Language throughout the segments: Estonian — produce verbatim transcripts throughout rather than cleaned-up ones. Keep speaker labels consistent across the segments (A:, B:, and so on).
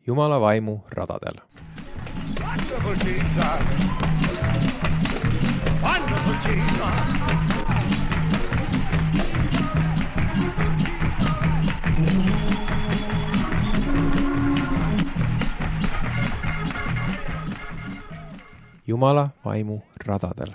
A: Jumala vaimu radadel.
B: Wonderful Jesus. Wonderful Jesus.
A: Jumala vaimu radadel.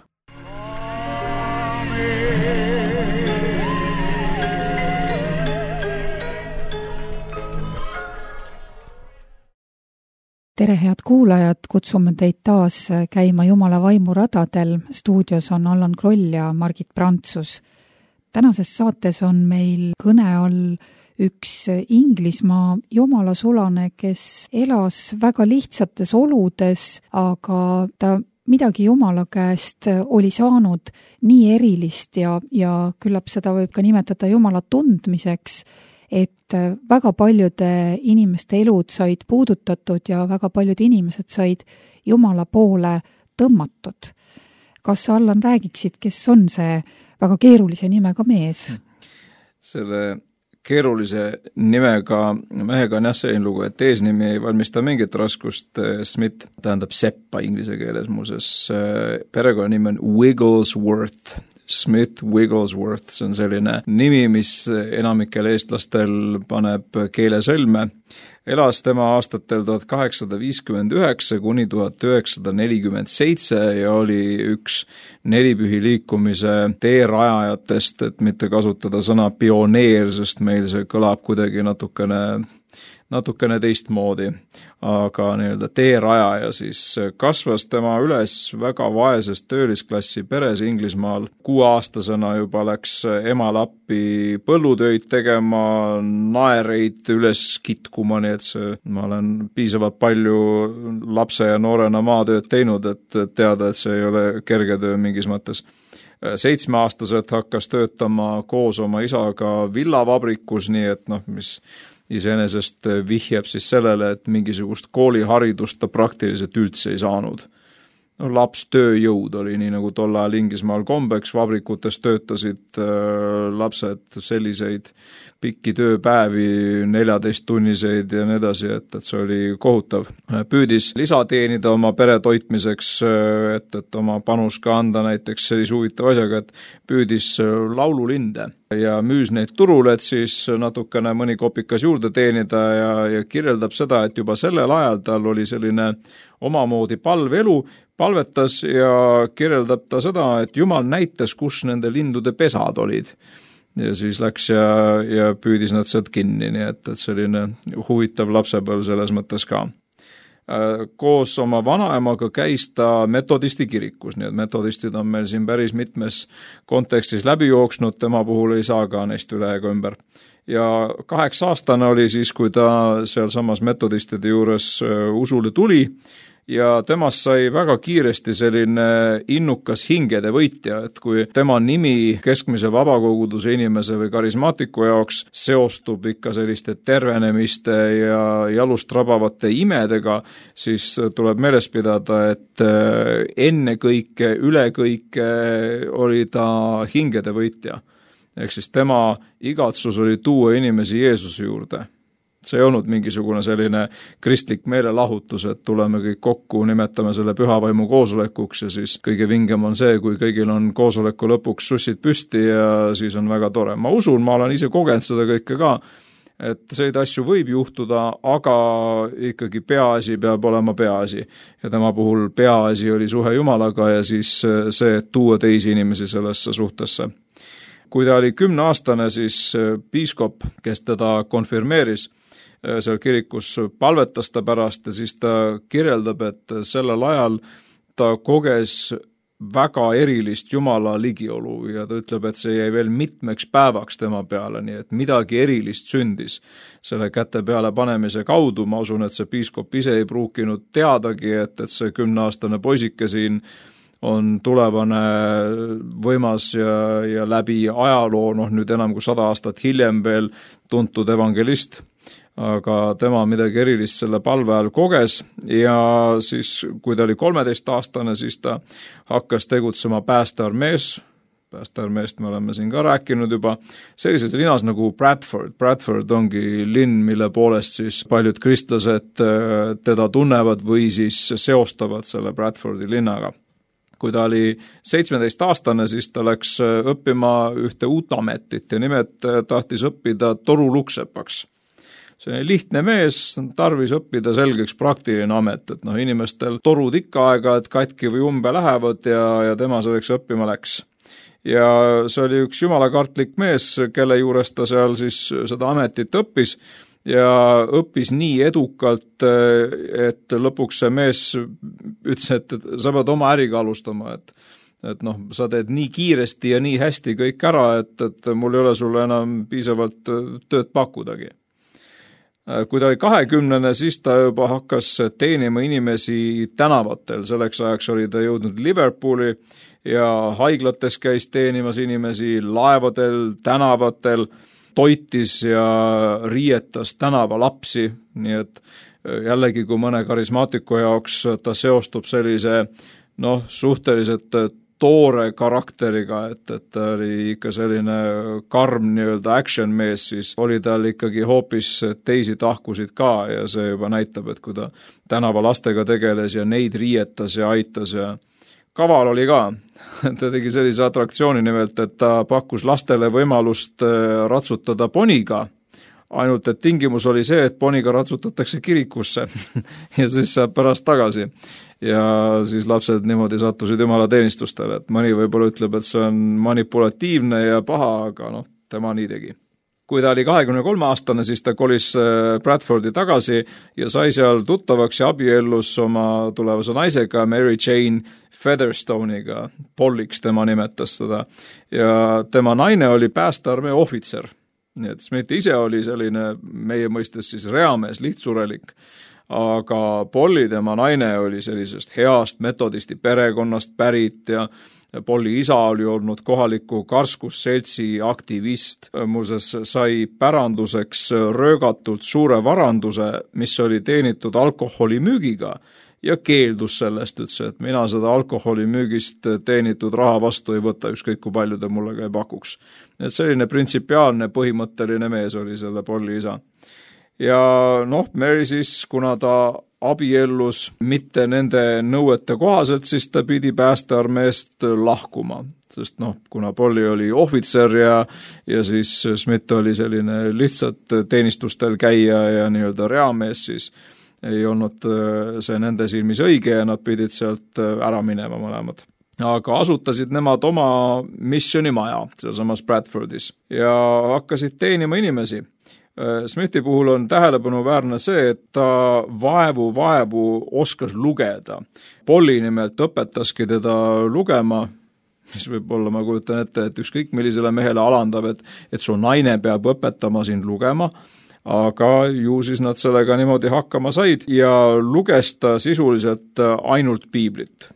C: Tere, head kuulajad, kutsume teid taas käima Jumala vaimu radadel. Stuudios on Allan Kroll ja Margit Prantsus. Tänases saates on meil kõne all üks Inglismaa jumalasulane, kes elas väga lihtsates oludes, aga ta midagi Jumala käest oli saanud nii erilist ja, ja küllap seda võib ka nimetada Jumala tundmiseks, et väga paljude inimeste elud said puudutatud ja väga paljud inimesed said Jumala poole tõmmatud. Kas sa, Allan, räägiksid, kes on see väga keerulise nimega mees?
D: Selle keerulise nimega mehega on jah selline lugu, et eesnimi ei valmista mingit raskust. Smith tähendab seppa inglise keeles, muuses perekonnanimi on Wigglesworth. Smith Wigglesworth, see on selline nimi, mis enamikel eestlastel paneb keelesõlme. Elas tema aastatel tuhat kaheksasada viiskümmend üheksa kuni tuhat üheksasada nelikümmend seitse ja oli üks nelipühi liikumise teerajajatest, et mitte kasutada sõna pioneer, sest meil see kõlab kuidagi natukene, natukene teistmoodi. Aga nii-öelda teerajaja siis kasvas tema üles väga vaeses töölisklassi peres Inglismaal. Kuueaastasena juba läks emal appi põllutöid tegema, naereid üles kitkuma, nii et see, ma olen piisavalt palju lapse ja noorena maatööd teinud, et teada, et see ei ole kerge töö mingis mõttes. Seitsmeaastaselt hakkas töötama koos oma isaga villavabrikus, nii et noh, mis iseenesest vihjab siis sellele, et mingisugust kooliharidust ta praktiliselt üldse ei saanud. No, laps tööjõud oli nii nagu tol ajal Inglismaal kombeks, vabrikutes töötasid äh, lapsed selliseid pikki tööpäevi, neljateist tunniseid ja nii edasi, et, et see oli kohutav. Püüdis lisa teenida oma pere toitmiseks, et, et oma panus ka anda näiteks sellise huvitava asjaga, et püüdis laululinde ja müüs neid turule, et siis natukene mõni kopikas juurde teenida ja, ja kirjeldab seda, et juba sellel ajal tal oli selline omamoodi palvelu, palvetas ja kirjeldab ta seda, et Jumal näitas, kus nende lindude pesad olid. Ja siis läks ja, ja püüdis nad sealt kinni, nii et, et selline huvitav lapsepõlv selles mõttes ka. Koos oma vanaemaga käis ta metodisti kirikus, nii et metodistid on meil siin päris mitmes kontekstis läbi jooksnud, tema puhul ei saa ka neist üle ega ümber. Ja kaheksa aastane oli siis, kui ta seal samas metodistide juures usule tuli, ja temast sai väga kiiresti selline innukas hingede võitja, et kui tema nimi keskmise vabakoguduse inimese või karismaatiku jaoks seostub ikka selliste tervenemiste ja jalust rabavate imedega, siis tuleb meeles pidada, et enne kõike, üle kõike oli ta hingede võitja. Ehk siis tema igatsus oli tuua inimesi Jeesuse juurde. See ei olnud mingisugune selline kristlik meelelahutus, et tuleme kõik kokku, nimetame selle pühavaimu koosolekuks ja siis kõige vingem on see, kui kõigil on koosoleku lõpuks sussid püsti ja siis on väga tore. Ma usun, ma olen ise kogenud seda kõike ka, et selliseid asju võib juhtuda, aga ikkagi peaasi peab olema peaasi. Ja tema puhul peaasi oli suhe Jumalaga ja siis see, et tuua teisi inimesi sellesse suhtesse. Kui ta oli kümneaastane, siis piiskop, kes teda konfirmeeris, seal kirikus palvetas ta pärast ja siis ta kirjeldab, et sellel ajal ta koges väga erilist Jumala ligiolu ja ta ütleb, et see jäi veel mitmeks päevaks tema peale, nii et midagi erilist sündis selle käte peale panemise kaudu. Ma usun, et see piiskop ise ei pruukinud teadagi, et, et see kümneaastane poisike siin on tulevane võimas ja, ja läbi ajaloo, noh nüüd enam kui sada aastat hiljem veel tuntud evangelist, aga tema midagi erilist selle palve ajal koges ja siis, kui ta oli kolmeteistaastane, siis ta hakkas tegutsema päästearmees, päästearmeest me oleme siin ka rääkinud juba, sellises linnas nagu Bradford. Bradford ongi linn, mille poolest siis paljud kristlased teda tunnevad või siis seostavad selle Bradfordi linnaga. Kui ta oli seitsmeteist aastane, siis ta läks õppima ühte uut ametit ja nimelt tahtis õppida toruluksepaks. See on lihtne mees, tarvis õppida selgeks praktiline amet, et noh, inimestel torud ikka aega, et katki või umbe lähevad ja, ja tema selleks õppima läks. Ja see oli üks jumalakartlik mees, kelle juures ta seal siis seda ametit õppis ja õppis nii edukalt, et lõpuks see mees ütles, et sa pead oma äriga alustama, et et noh, sa teed nii kiiresti ja nii hästi kõik ära, et, et mul ei ole sulle enam piisavalt tööd pakkudagi. Kui ta oli kahekümnene, siis ta juba hakkas teenima inimesi tänavatel, selleks ajaks oli ta jõudnud Liverpooli ja haiglates käis teenimas inimesi, laevadel, tänavatel, toitis ja riietas tänavalapsi, nii et jällegi kui mõne karismaatiku jaoks ta seostub sellise noh, suhteliselt toore karakteriga, et, et ta oli ikka selline karm nii-öelda action mees, siis oli tal ikkagi hoopis teisi tahkusid ka ja see juba näitab, et kui ta tänavalastega tegeles ja neid riietas ja aitas ja kaval oli ka. Ta tegi sellise atraktsiooni nimelt, et ta pakkus lastele võimalust ratsutada poniga, ainult et tingimus oli see, et poniga ratsutatakse kirikusse ja siis saab pärast tagasi. Ja siis lapsed niimoodi sattusid jumala teenistustele, et mõni võib-olla ütleb, et see on manipulatiivne ja paha, aga noh, tema nii tegi. Kui ta oli kahekümne kolme aastane, siis ta kolis Bradfordi tagasi ja sai seal tuttavaks ja abiellus oma tulevase naisega Mary Jane Featherstone'iga, Polliks tema nimetas seda, ja tema naine oli päästearmee ohvitser. Nii et Smith ise oli selline meie mõistes siis reamees, lihtsurelik, aga Polly, tema naine, oli sellisest heast metodisti perekonnast pärit ja Polly isa oli olnud kohaliku karskusseltsi aktivist. Muuseas sai päranduseks röögatult suure varanduse, mis oli teenitud alkoholimüügiga ja keeldus sellest, ütles, et mina seda alkoholimüügist teenitud raha vastu ei võta, ükskõik kui palju ta mulle ka ei pakuks. Et selline printsipiaalne põhimõtteline mees oli selle Polly isa. Ja noh, Mary siis, kuna ta abiellus mitte nende nõuete kohaselt, siis ta pidi päästearmeest lahkuma. Sest noh, kuna Polly oli ohvitser ja, ja siis Smith oli selline lihtsalt teenistustel käia ja nii-öelda reamees, siis ei olnud see nende silmis õige ja nad pidid sealt ära minema mõlemad. Aga asutasid nemad oma missionimaja sealsamas Bradfordis ja hakkasid teenima inimesi. Smithi puhul on tähelepanuväärne see, et ta vaevu vaevu oskas lugeda. Polly nimelt õpetaski teda lugema, mis võib olla, ma kujutan ette, et ükskõik millisele mehele alandab, et, et su naine peab õpetama sind lugema, aga ju siis nad sellega niimoodi hakkama said ja luges ta sisuliselt ainult piiblit.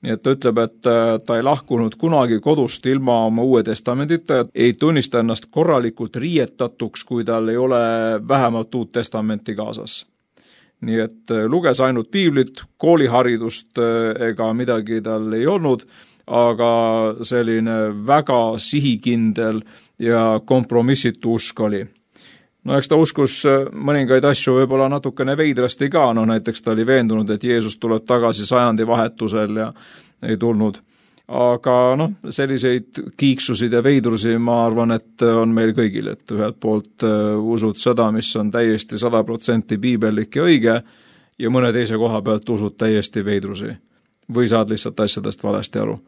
D: Nii et ta ütleb, et ta ei lahkunud kunagi kodust ilma oma uue testamendita, ei tunnista ennast korralikult riietatuks, kui tal ei ole vähemalt uut testamenti kaasas. Nii et luges ainult piiblit, kooliharidust ega midagi tal ei olnud, aga selline väga sihikindel ja kompromissitu usk oli. No eks ta uskus mõningaid asju võib-olla natukene veidrasti ka, no näiteks ta oli veendunud, et Jeesus tuleb tagasi sajandi vahetusel ja ei tulnud. Aga noh, selliseid kiiksusid ja veidrusi ma arvan, et on meil kõigil, et ühelt poolt usud seda, mis on täiesti sada protsenti piibellik ja õige ja mõne teise koha pealt usud täiesti veidrusi või saad lihtsalt asjadest valesti aru.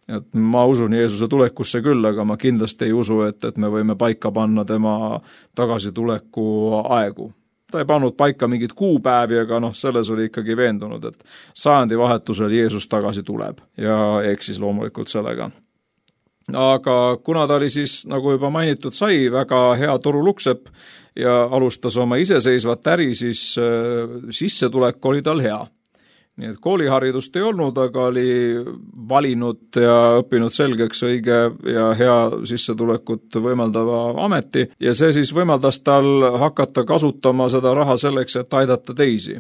D: Et ma usun Jeesuse tulekusse küll, aga ma kindlasti ei usu, et, et me võime paika panna tema tagasituleku aegu. Ta ei pannud paika mingit kuupäevi, aga noh, selles oli ikkagi veendunud, et sajandi vahetusel Jeesus tagasi tuleb ja eksis loomulikult sellega. Aga kuna ta oli siis, nagu juba mainitud sai, väga hea toruluksepp ja alustas oma iseseisvat äri, siis äh, sissetulek oli tal hea. Nii et kooliharidust ei olnud, aga oli valinud ja õppinud selgeks õige ja hea sissetulekut võimaldava ameti ja see siis võimaldas tal hakata kasutama seda raha selleks, et aidata teisi.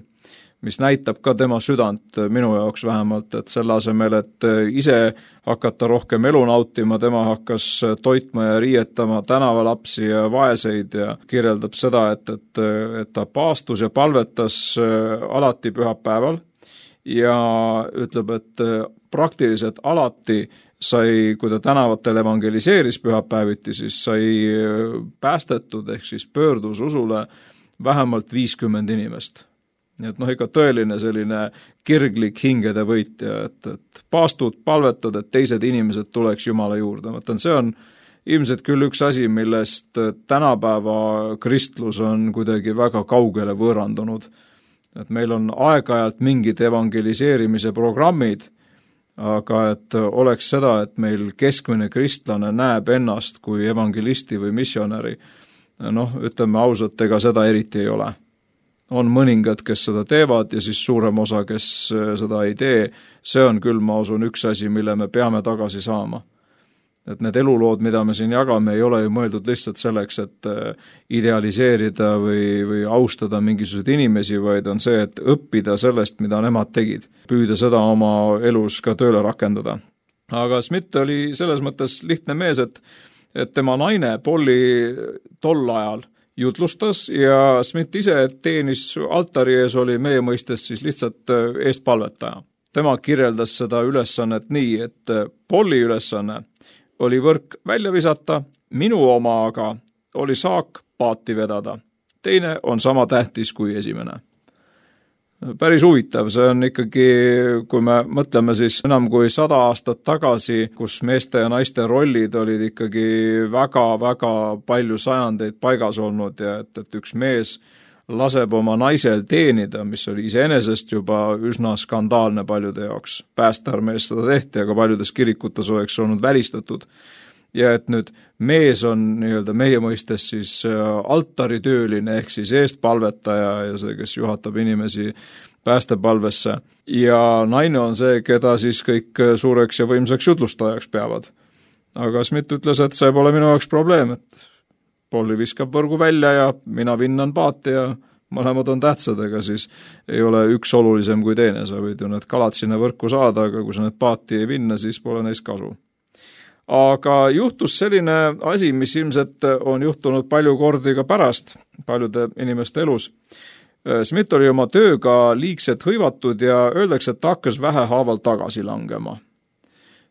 D: mis näitab ka tema südant minu jaoks vähemalt, et selle asemel, et ise hakata rohkem elu nautima, tema hakkas toitma ja riietama tänavalapsi ja vaeseid ja kirjeldab seda, et, et, et ta paastus ja palvetas alati pühapäeval ja ütleb, et praktiliselt alati sai, kui ta tänavatel evangeliseeris pühapäeviti, siis sai päästetud ehk siis pöördus usule vähemalt viiskümmend inimest. Nii et noh, ikka tõeline selline kirglik hingede võitja, et, et paastud, palvetad, et teised inimesed tuleks Jumala juurde. Mõtlen, see on ilmselt küll üks asi, millest tänapäeva kristlus on kuidagi väga kaugele võõrandunud. Et meil on aeg-ajalt mingid evangeliseerimise programmid, aga et oleks seda, et meil keskmine kristlane näeb ennast kui evangelisti või missionäri, noh, ütleme ausalt, ega seda eriti ei ole. On mõningad, kes seda teevad ja siis suurem osa, kes seda ei tee, see on küll, ma usun, üks asi, mille me peame tagasi saama. Et need elulood, mida me siin jagame, ei ole ju mõeldud lihtsalt selleks, et idealiseerida või, või austada mingisuguseid inimesi, vaid on see, et õppida sellest, mida nemad tegid, püüda seda oma elus ka tööle rakendada. Aga Smith oli selles mõttes lihtne mees, et, et tema naine Polly tol ajal jutlustas ja Smith ise teenis altari ees, oli meie mõistes siis lihtsalt eestpalvetaja. Tema kirjeldas seda ülesannet nii, et Polly ülesanne oli võrk välja visata, minu oma aga oli saak paati vedada. Teine on sama tähtis kui esimene. Päris huvitav, see on ikkagi, kui me mõtleme siis enam kui sada aastat tagasi, kus meeste ja naiste rollid olid ikkagi väga-väga palju sajandeid paigas olnud ja et, et üks mees laseb oma naisel teenida, mis oli iseenesest juba üsna skandaalne paljude jaoks. Päästearmees seda tehti, aga paljudes kirikutes oleks olnud välistatud. Ja et nüüd mees on nii-öelda meie mõistes siis altaritööline ehk siis eestpalvetaja ja see, kes juhatab inimesi päästepalvesse. Ja naine on see, keda siis kõik suureks ja võimsaks jutlustajaks peavad. Aga Smith ütles, et see pole minu jaoks probleem, et Polly viskab võrgu välja ja mina vinnan paati ja mõlemad on tähtsad, ega siis ei ole üks olulisem kui teine. Sa võid ju need kalad sinna võrku saada, aga kui sa need paati ei vinna, siis pole neist kasu. Aga juhtus selline asi, mis ilmselt on juhtunud palju kordi ka pärast paljude inimeste elus. Smith oli oma tööga liigselt hõivatud ja öeldakse, et ta hakkas vähehaaval tagasi langema.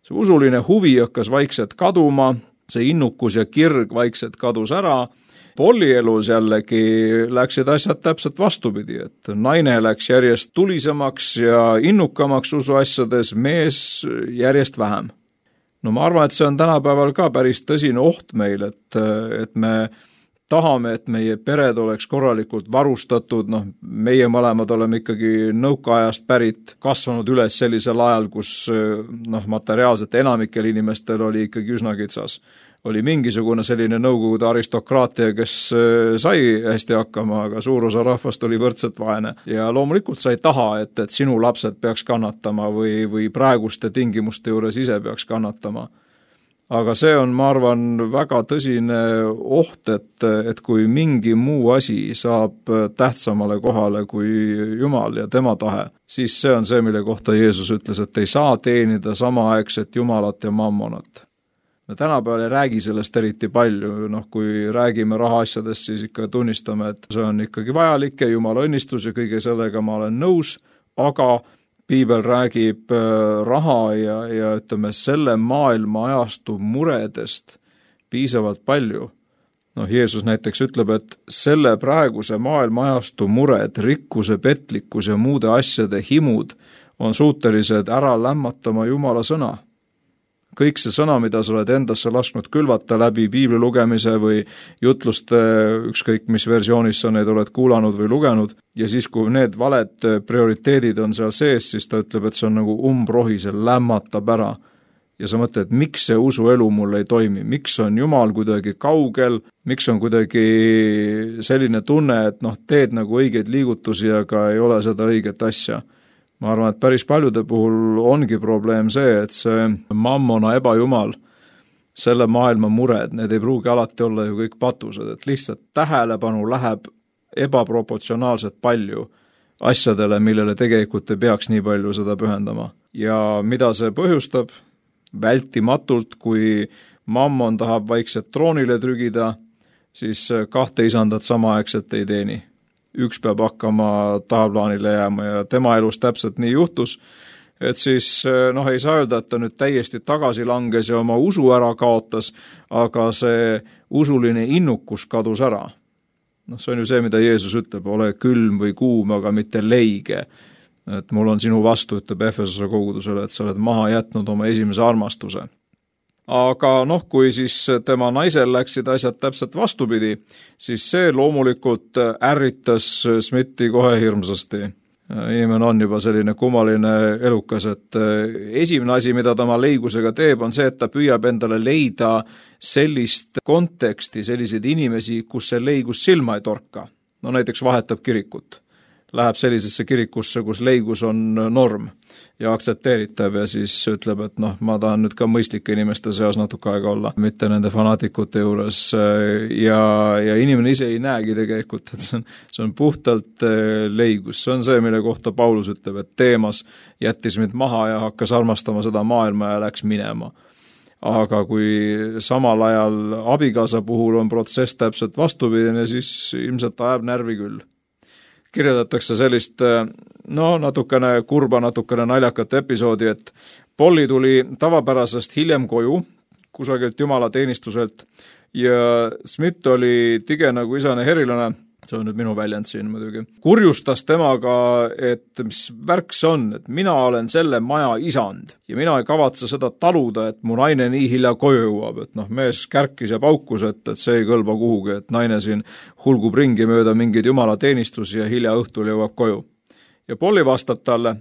D: See usuline huvi hakkas vaikselt kaduma, see innukus ja kirg vaikselt kadus ära. Polly elus jällegi läksid asjad täpselt vastupidi, et naine läks järjest tulisemaks ja innukamaks usuasjades, mees järjest vähem. No ma arvan, et see on tänapäeval ka päris tõsine oht meil, et, et me tahame, et meie pered oleks korralikult varustatud, noh, meie mõlemad oleme ikkagi nõukaajast pärit, kasvanud üles sellisel ajal, kus noh, materiaalselt enamikel inimestel oli ikkagi üsna kitsas. Oli mingisugune selline nõukogude aristokraatia, kes sai hästi hakkama, aga suur osa rahvast oli võrdselt vaene. Ja loomulikult sa ei taha, et, et sinu lapsed peaks kannatama või, või praeguste tingimuste juures ise peaks kannatama. Aga see on, ma arvan, väga tõsine oht, et, et kui mingi muu asi saab tähtsamale kohale kui Jumal ja tema tahe, siis see on see, mille kohta Jeesus ütles, et ei saa teenida samaaegset Jumalat ja mammonat. Me tänapäeval ei räägi sellest eriti palju, noh, kui räägime rahaasjadest, siis ikka tunnistame, et see on ikkagi vajalik ja Jumala õnnistus ja kõige sellega ma olen nõus, aga Piibel räägib raha ja, ja ütleme, selle maailma ajastu muredest piisavalt palju. Noh, Jeesus näiteks ütleb, et selle praeguse maailma ajastu mured, rikkuse, petlikkus ja muude asjade himud on suutelised ära lämmatama Jumala sõna. Kõik see sõna, mida sa oled endasse lasknud külvata läbi piibli lugemise või jutluste, ükskõik mis versioonis sa neid oled kuulanud või lugenud, ja siis, kui need valed prioriteedid on seal sees, siis ta ütleb, et see on nagu umbrohi, see lämmatab ära. Ja sa mõtled, miks see usuelu mul ei toimi, miks on Jumal kuidagi kaugel, miks on kuidagi selline tunne, et noh, teed nagu õigeid liigutusi, aga ei ole seda õiget asja. Ma arvan, et päris paljude puhul ongi probleem see, et see mammona ebajumal, selle maailma mured, need ei pruugi alati olla ju kõik patused, et lihtsalt tähelepanu läheb ebaproportsionaalselt palju asjadele, millele tegelikult ei peaks nii palju seda pühendama. Ja mida see põhjustab? Vältimatult, kui mammon tahab vaikselt troonile trügida, siis kahte isandat samaaegselt ei teeni. Üks peab hakkama tahaplaanile jääma ja tema elus täpselt nii juhtus, et siis noh, ei saa öelda, et ta nüüd täiesti tagasi langes ja oma usu ära kaotas, aga see usuline innukus kadus ära. Noh, see on ju see, mida Jeesus ütleb, ole külm või kuum, aga mitte leige. Et mul on sinu vastu, ütleb Efesose kogudusele, et sa oled maha jätnud oma esimese armastuse. Aga noh, kui siis tema naisel läksid asjad täpselt vastupidi, siis see loomulikult ärritas Smithi kohe hirmsasti. Inimene on juba selline kummaline elukas, et esimene asi, mida ta oma leigusega teeb, on see, et ta püüab endale leida sellist konteksti, selliseid inimesi, kus see leigus silma ei torka. No näiteks vahetab kirikut. Läheb sellisesse kirikusse, kus leigus on norm ja aktsepteeritav ja siis ütleb, et noh, ma tahan nüüd ka mõistlike inimeste seas natuke aega olla, mitte nende fanaatikute juures ja, ja inimene ise ei näegi tegelikult, et see on, see on puhtalt leigus. See on see, mille kohta Paulus ütleb, et Teemas jättis mind maha ja hakkas armastama seda maailma ja läks minema. Aga kui samal ajal abikaasa puhul on protsess täpselt vastupidine, siis ilmselt ajab närvi küll. Kirjeldatakse sellist, no natukene kurba, natukene naljakat episoodi, et Polly tuli tavapärasest hiljem koju, kusagilt jumala teenistuselt ja Smith oli tige nagu isane herilane, see on nüüd minu väljend siin muidugi, kurjustas temaga, et mis värk see on, et mina olen selle maja isand ja mina ei kavatse seda taluda, et mu naine nii hilja koju jõuab, et noh, mees kärkis ja paukus, et, et see ei kõlba kuhugi, et naine siin hulgub ringi mööda mingeid jumala teenistusi ja hilja õhtul jõuab koju. Ja Polly vastab talle,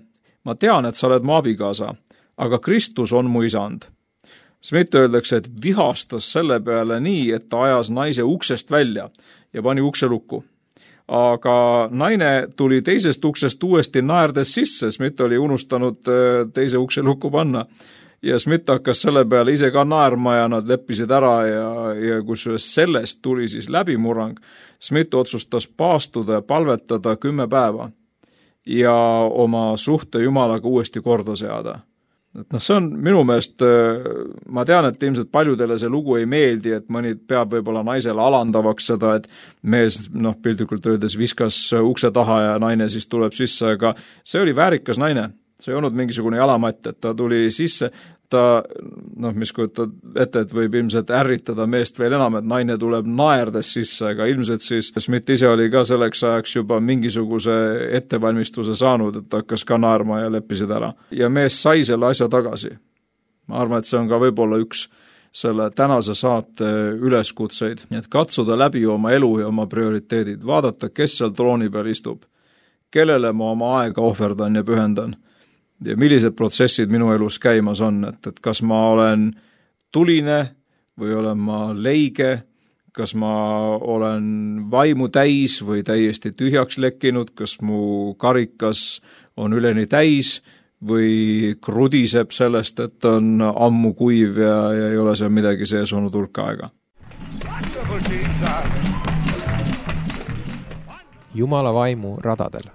D: ma tean, et sa oled mu abikaasa, aga Kristus on mu isand. Smith öeldakse, et vihastas selle peale nii, et ta ajas naise uksest välja ja pani ukse lukku. Aga naine tuli teisest uksest uuesti naerdes sisse, Smith oli unustanud teise ukse lukku panna ja Smith hakkas selle peale ise ka naerma ja nad leppisid ära ja, ja kus sellest tuli siis läbimurrang, Smith otsustas paastuda ja palvetada kümme päeva ja oma suhte jumalaga uuesti korda seada. Et noh, see on minu meelest, ma tean, et ilmselt paljudele see lugu ei meeldi, et mõni peab võib-olla naisele alandavaks seda, et mees, noh, piltlikult öeldes viskas ukse taha ja naine siis tuleb sisse, aga see oli väärikas naine. See ei olnud mingisugune jalamatt, et ta tuli sisse, ta, noh, mis kujutad ette, et võib ilmselt ärritada meest veel enam, et naine tuleb naerdes sisse, aga ilmselt siis Smith ise oli ka selleks ajaks juba mingisuguse ettevalmistuse saanud, et hakkas ka naerma ja leppisid ära. Ja mees sai selle asja tagasi. Ma arvan, et see on ka võib-olla üks selle tänase saate üleskutseid, et katsuda läbi oma elu ja oma prioriteedid, vaadata, kes seal trooni peal istub, kellele ma oma aega ohverdan ja pühendan. Ja millised protsessid minu elus käimas on, et, et kas ma olen tuline või olen ma leige, kas ma olen vaimu täis või täiesti tühjaks lekkinud, kas mu karikas on üleni täis või krudiseb sellest, et on ammu kuiv ja, ja ei ole seal midagi sees olnud hulka aega.
A: Jumala vaimu radadel.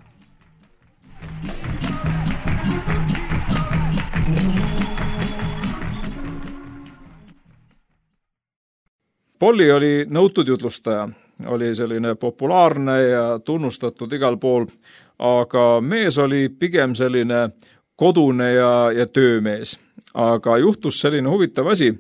D: Polly oli nõutud jutlustaja, oli selline populaarne ja tunnustatud igal pool, aga mees oli pigem selline kodune ja, ja töömees. Aga juhtus selline huvitav asi,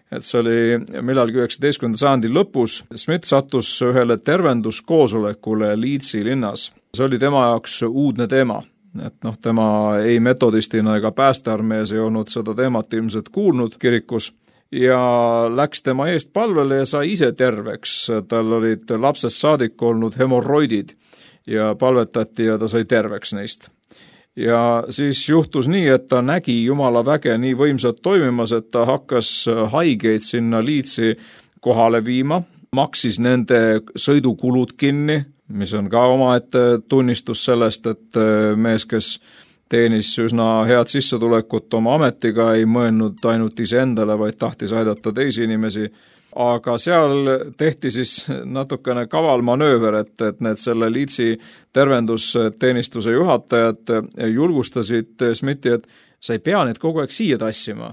D: et see oli millalgi üheksateistkümnenda sajandi lõpus. Smith sattus ühele tervenduskoosolekule Leedsi linnas. See oli tema jaoks uudne teema, et noh, tema ei metodistina ega päästearmees ei olnud seda teemat ilmselt kuulnud kirikus. Ja läks tema eest palvele ja sai ise terveks. Tal olid lapsest saadik olnud hemorroidid ja palvetati ja ta sai terveks neist. Ja siis juhtus nii, et ta nägi Jumala väge nii võimsat toimimas, et ta hakkas haigeid sinna Leedsi kohale viima, maksis nende sõidukulud kinni, mis on ka omaette tunnistus sellest, et mees, kes teenis üsna head sissetulekut oma ametiga, ei mõelnud ainult iseendale, vaid tahtis aidata teisi inimesi. aga seal tehti siis natukene kaval manööver, et, et need selle Leedsi tervendusteenistuse juhatajad julgustasid Smithi, et sa ei pea neid kogu aeg siia tassima,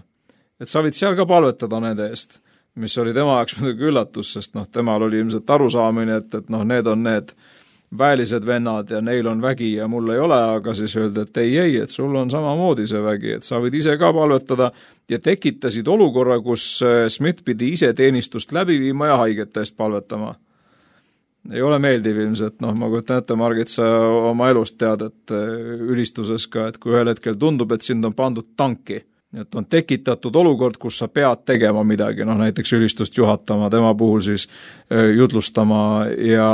D: et sa võid seal ka palvetada nende eest, mis oli tema jaoks muidugi üllatus, sest noh, temal oli ilmselt arusaamine, et, et noh, need on need väelised vennad ja neil on vägi ja mul ei ole, aga siis öeldi, et ei, ei, et sul on samamoodi see vägi, et sa võid ise ka palvetada ja tekitasid olukorra, kus Smith pidi ise teenistust läbi viima ja haigete eest palvetama. Ei ole meeldiv ilmselt, noh, ma kujutan ette, Margit, sa oma elust tead, et ülistuses ka, et kui ühel hetkel tundub, et sind on pandud tanki, et on tekitatud olukord, kus sa pead tegema midagi, noh näiteks ülistust juhatama, tema puhul siis jutlustama ja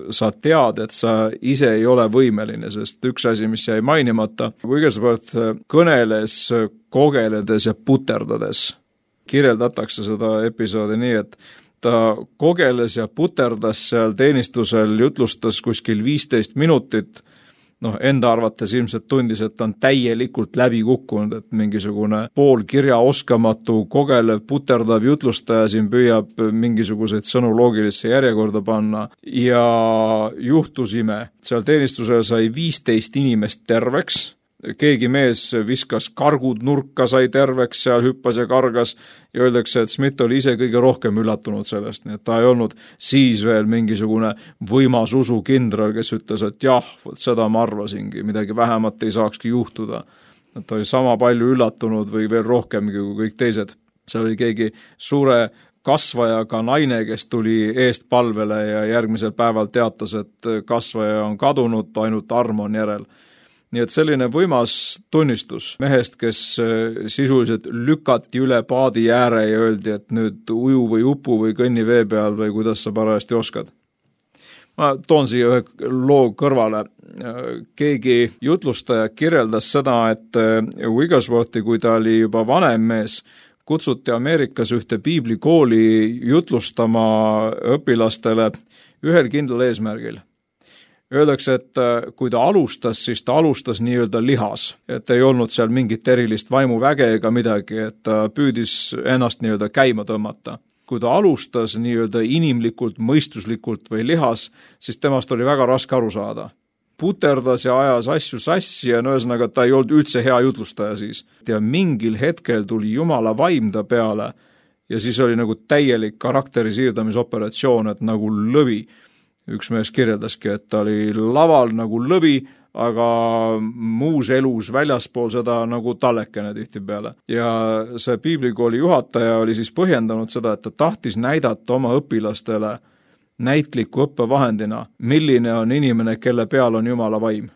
D: sa tead, et sa ise ei ole võimeline, sest üks asi, mis jäi mainimata, Wigglesworth kõneles kogeledes ja puterdades. Kirjeldatakse seda episoodi nii, et ta kogeles ja puterdas seal teenistusel, jutlustas kuskil viisteist minutit, noh, enda arvates ilmselt tundis, et ta on täielikult läbi kukkunud, et mingisugune pool kirja oskamatu, kogelev, puterdav jutlustaja siin püüab mingisuguseid sõnu loogilisse järjekorda panna ja juhtus ime. Seal teenistusel sai viisteist inimest terveks, keegi mees viskas kargud nurka, sai terveks, seal hüppas ja kargas ja öeldakse, et Smith oli ise kõige rohkem üllatunud sellest, nii et ta ei olnud siis veel mingisugune võimas usukindral, kes ütles, et jah, seda ma arvasingi, midagi vähemat ei saakski juhtuda. Et ta oli sama palju üllatunud või veel rohkemgi kui kõik teised. See oli keegi suure kasvajaga naine, kes tuli eest palvele ja järgmisel päeval teatas, et kasvaja on kadunud, ainult arm on järel. Nii et selline võimas tunnistus mehest, kes sisuliselt lükati üle paadi ääre ja öeldi, et nüüd uju või upu või kõnni vee peal või kuidas sa parajasti oskad. Ma toon siia ühe loo kõrvale. Keegi jutlustaja kirjeldas seda, et Wigglesworthi, kui ta oli juba vanem mees, kutsuti Ameerikas ühte piiblikooli jutlustama õpilastele ühel kindlal eesmärgil. Öeldakse, et kui ta alustas, siis ta alustas nii-öelda lihas, et ei olnud seal mingit erilist vaimuväge ega midagi, et ta püüdis ennast nii-öelda käima tõmmata. Kui ta alustas nii-öelda inimlikult, mõistuslikult või lihas, siis temast oli väga raske aru saada. Puterdas ja ajas asju sassi ja no ühesõnaga ta ei olnud üldse hea jutlustaja siis. Ja mingil hetkel tuli Jumala vaim ta peale ja siis oli nagu täielik karakteri siirdamisoperatsioon, et nagu lõvi. Üks mees kirjeldaski, et ta oli laval nagu lõvi, aga muus elus väljaspool seda nagu tallekene tihti peale. Ja see piiblikooli juhataja oli siis põhjendanud seda, et ta tahtis näidata oma õpilastele näitliku õppevahendina, milline on inimene, kelle peal on Jumala vaim.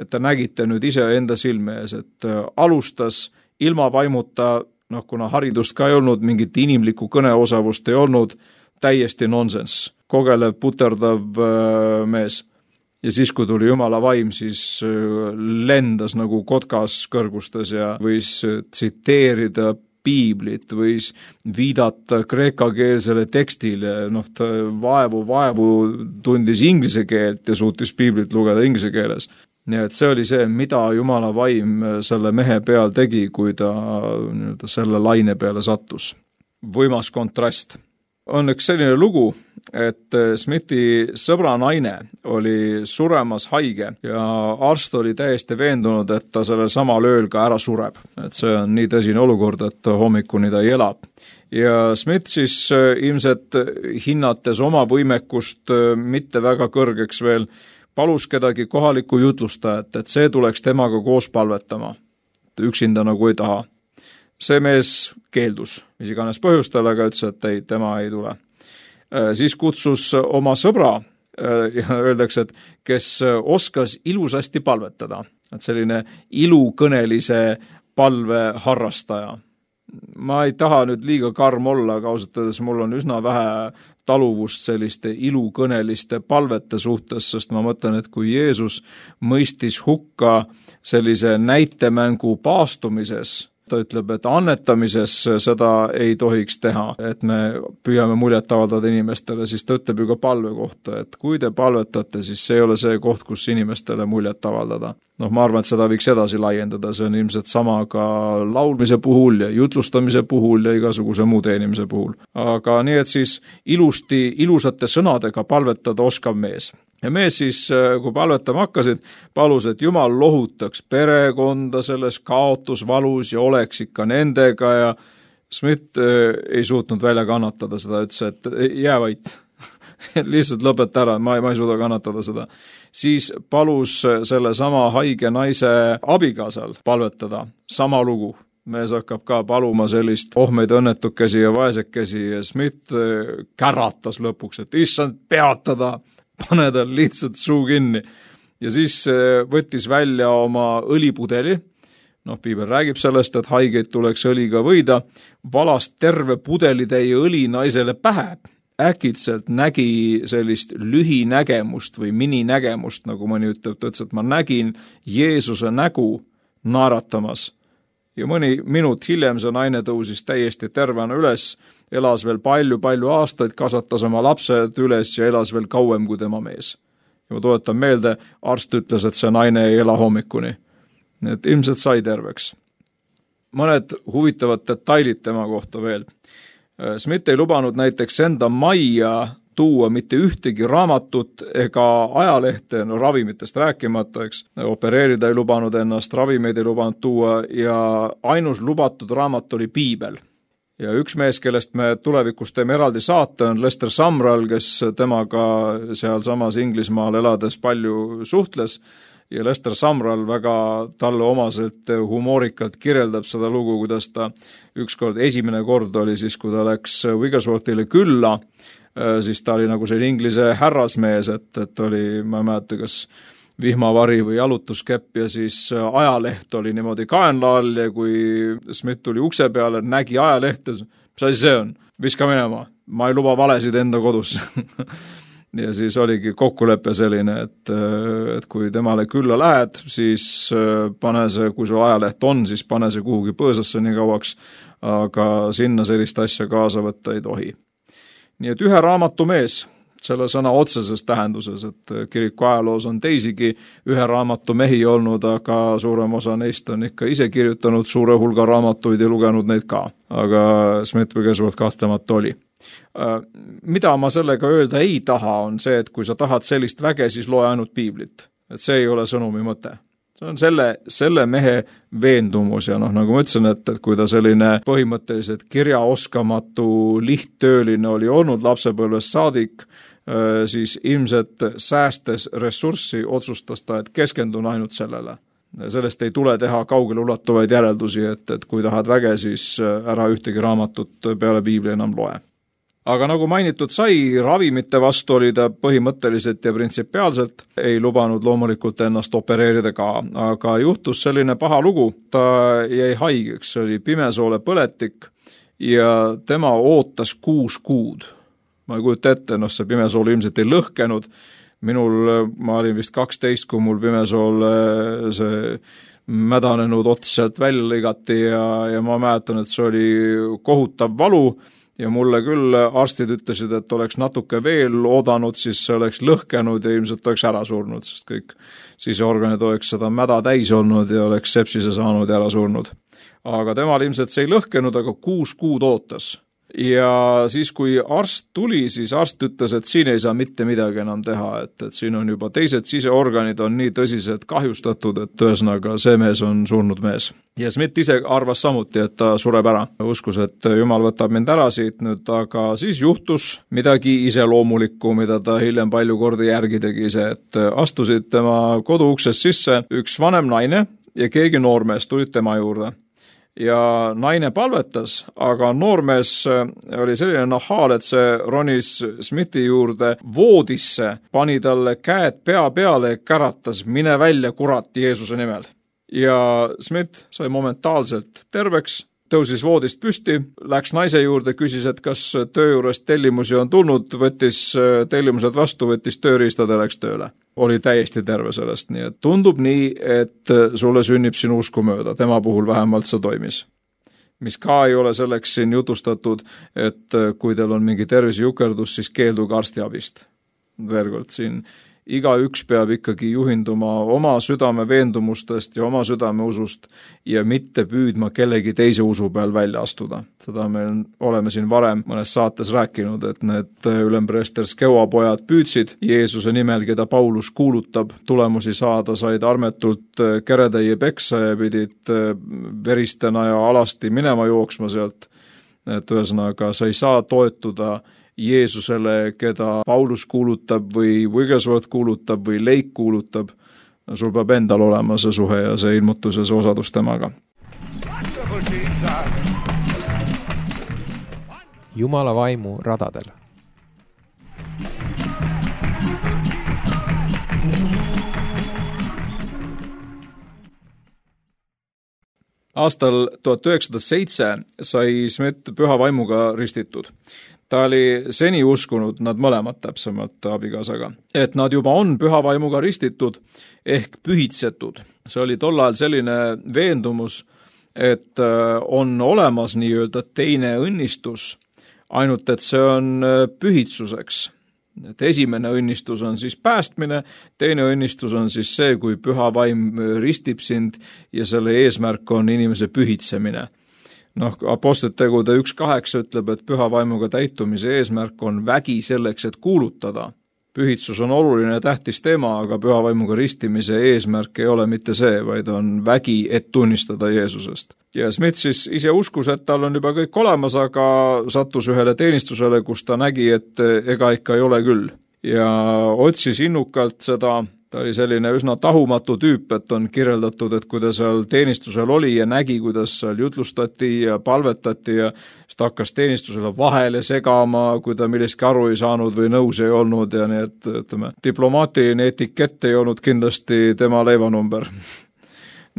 D: Et ta nägite nüüd ise enda silme ees, et alustas ilma vaimuta, noh kuna haridust ka ei olnud, mingit inimlikku kõneosavust ei olnud, täiesti nonsense. Kogelev, puterdav mees. Ja siis, kui tuli Jumala vaim, siis lendas nagu kotkas kõrgustes ja võis tsiteerida piiblit, võis viidata kreekakeelsele tekstile, noh, ta vaevu, vaevu tundis inglise keelt ja suutis piiblit lugeda inglise keeles. Nii et see oli see, mida Jumala vaim selle mehe peal tegi, kui ta selle laine peale sattus. Võimas kontrast. On üks selline lugu, et Smithi sõbra naine oli suremas haige ja arst oli täiesti veendunud, et ta selle samal ööl ka ära sureb. Et see on nii tõsine olukord, et hommikuni ta ei ela. Ja Smith siis ilmselt hinnates oma võimekust mitte väga kõrgeks veel, palus kedagi kohaliku jutlustajat, et see tuleks temaga koos palvetama. Üksinda nagu ei taha. See mees keeldus, mis iganes põhjustel, aga ütles, et ei, tema ei tule. Siis kutsus oma sõbra, ja öeldakse, et kes oskas ilusasti palvetada, et selline ilukõnelise palve harrastaja. Ma ei taha nüüd liiga karm olla, aga ausalt öeldes mul on üsna vähe taluvust selliste ilukõneliste palvete suhtes, sest ma mõtlen, et kui Jeesus mõistis hukka sellise näitemängu paastumises, ta ütleb, et annetamises seda ei tohiks teha, et me püüame muljet avaldada inimestele, siis ta ütleb ju ka palve kohta, et kui te palvetate, siis see ei ole see koht, kus inimestele muljet avaldada. Noh, ma arvan, et seda võiks edasi laiendada, see on ilmselt sama ka laulmise puhul ja jutlustamise puhul ja igasuguse muu teenimise puhul. Aga nii, et siis ilusti, ilusate sõnadega palvetada oskav mees. Ja mees siis, kui palvetama hakkasid, palus, et Jumal lohutaks perekonda selles kaotusvalus ja oleks ikka nendega ja Smith ei suutnud välja kannatada seda, ütles, et jää vait, lihtsalt lõpeta ära, ma ei, ma ei suuda kannatada seda. Siis palus selle sama haige naise abikaasal palvetada, sama lugu. Mees hakkab ka paluma sellist ohmeid õnnetukesi ja vaesekesi ja Smith käratas lõpuks, et issand peatada, pane tal lihtsalt suu kinni. Ja siis võttis välja oma õlipudeli, noh, piibel räägib sellest, et haigeid tuleks õliga võida, valas terve pudelitäie õli naisele pähe. Äkitselt nägi sellist lühinägemust või mininägemust, nagu mõni ütleb, ta ütles, et ma nägin Jeesuse nägu naeratamas. Ja mõni minut hiljem see naine tõusis täiesti tervena üles, elas veel palju-palju aastaid, kasvatas oma lapsed üles ja elas veel kauem kui tema mees. Ja ma tuletan meelde, arst ütles, et see naine ei ela hommikuni. Nii et ilmselt sai terveks. Mõned huvitavad detailid tema kohta veel. Smith ei lubanud näiteks enda majja tuua mitte ühtegi raamatut ega ajalehte, no ravimitest rääkimata, eks. Opereerida ei lubanud ennast, ravimeid ei lubanud tuua ja ainus lubatud raamat oli piibel. Ja üks mees, kellest me tulevikus teeme eraldi saate, on Lester Sumrall, kes temaga seal samas Inglismaal elades palju suhtles. Ja Lester Sumrall väga talle omaselt humoorikalt kirjeldab seda lugu, kuidas ta ükskord, esimene kord oli siis, kui ta läks Wigglesworthile külla, siis ta oli nagu see inglise härrasmees, et, et oli, ma ei mäleta, kas vihmavari või jalutuskepp ja siis ajaleht oli niimoodi kaenla all ja kui Smith tuli ukse peale, nägi ajalehte, mis asi see on? Viska minema, ma ei luba valesid enda kodus. Ja siis oligi kokkulepe selline, et, et kui temale külla lähed, siis pane see, kui sul ajaleht on, siis pane see kuhugi põõsasse nii kauaks, aga sinna sellist asja kaasa võtta ei tohi. Nii et ühe raamatu mees, selle sõna otseses tähenduses, et kiriku ajaloos on teisigi ühe raamatu mehi olnud, aga suurem osa neist on ikka ise kirjutanud suure hulga raamatuid ja lugenud neid ka. Aga Smith Wigglesworth kahtlemata oli. Mida ma sellega öelda ei taha, on see, et kui sa tahad sellist väge, siis loe ainult piiblit. Et see ei ole sõnumi mõte. See on selle, selle mehe veendumus ja noh, nagu ma ütlesin, et, et kui ta selline põhimõtteliselt kirjaoskamatu lihttööline oli olnud lapsepõlves saadik, siis ilmselt säästes ressurssi otsustas ta, et keskendun ainult sellele. Sellest ei tule teha kaugele ulatuvaid järeldusi, et, et kui tahad väge, siis ära ühtegi raamatut peale piibli enam loe. Aga nagu mainitud sai, ravimite vastu oli ta põhimõtteliselt ja printsipiaalselt ei lubanud loomulikult ennast opereerida ka, aga juhtus selline paha lugu, ta jäi haigeks, oli pimesoole põletik ja tema ootas kuus kuud. Ma ei kujuta ette, noh see pimesool ilmselt ei lõhkenud, minul, ma olin vist kaksteist, kui mul pimesool see mädanenud ots sealt välja lõigati ja, ja ma mäletan, et see oli kohutav valu, ja mulle küll arstid ütlesid, et oleks natuke veel oodanud, siis see oleks lõhkenud ja ilmselt oleks ära surnud, sest kõik siseorganid oleks seda mäda täis olnud ja oleks sepsise saanud ja ära surnud. Aga temal ilmselt see ei lõhkenud, aga kuus kuud ootas. Ja siis, kui arst tuli, siis arst ütles, et siin ei saa mitte midagi enam teha, et, et siin on juba teised siseorganid on nii tõsiselt kahjustatud, et ühesõnaga see mees on surnud mees. Ja Smith ise arvas samuti, et ta sureb ära. Uskus, et Jumal võtab mind ära siit nüüd, aga siis juhtus midagi iseloomulikku, mida ta hiljem palju kordi järgi tegi see, et astusid tema koduuksest sisse üks vanem naine ja keegi noormees tulid tema juurde. Ja naine palvetas, aga noormees oli selline nahaal, et see ronis Smithi juurde voodisse, pani talle käed pea peale ja käratas, mine välja kurat Jeesuse nimel. Ja Smith sai momentaalselt terveks, tõusis voodist püsti, läks naise juurde, küsis, et kas töö juurest tellimusi on tulnud, võttis tellimused vastu, võttis tööriistad ja läks tööle. Oli täiesti terve sellest, nii et tundub nii, et sulle sünnib sinu usku mööda, tema puhul vähemalt see toimis. mis ka ei ole selleks siin jutustatud, et kui teil on mingi tervisejukerdus, siis keelduge arstiabist. Veel kord siin igaüks peab ikkagi juhinduma oma südame veendumustest ja oma südame usust ja mitte püüdma kellegi teise usu peal välja astuda. Seda me oleme siin varem mõnes saates rääkinud, et need ülempreester Skeua pojad püüdsid Jeesuse nimel, keda Paulus kuulutab, tulemusi saada, said armetult keretäie peksa ja pidid veristena ja alasti minema jooksma sealt. Et ühesõnaga, sa ei saa toetuda Jeesusele, keda Paulus kuulutab või Wigglesworth kuulutab või Leik kuulutab. Sul peab endal olema see suhe ja see ilmutus ja see osadus temaga.
A: Jumala vaimu radadel.
D: Aastal tuhat üheksasada seitse sai Smith püha vaimuga ristitud. Ta oli seni uskunud, nad mõlemad täpsemalt abikaasaga, et nad juba on püha vaimuga ristitud ehk pühitsetud. See oli tol ajal selline veendumus, et on olemas nii-öelda teine õnnistus, ainult et see on pühitsuseks. Et esimene õnnistus on siis päästmine, teine õnnistus on siis see, kui püha vaim ristib sind ja selle eesmärk on inimese pühitsemine. Noh, Apostlite tegude üks kaheksa ütleb, et püha vaimuga täitumise eesmärk on vägi selleks, et kuulutada. Pühitsus on oluline ja tähtis teema, aga püha vaimuga ristimise eesmärk ei ole mitte see, vaid on vägi, et tunnistada Jeesusest. Ja Smith siis ise uskus, et tal on juba kõik olemas, aga sattus ühele teenistusele, kus ta nägi, et ega ikka ei ole küll. Ja otsis innukalt seda. Ta oli selline üsna tahumatu tüüp, et on kirjeldatud, et kui ta seal teenistusel oli ja nägi, kuidas seal jutlustati ja palvetati ja siis ta hakkas teenistusele vahele segama, kui ta millestki aru ei saanud või nõus ei olnud ja nii, et ütleme, diplomaatiline etikett ei olnud kindlasti tema leivanumber.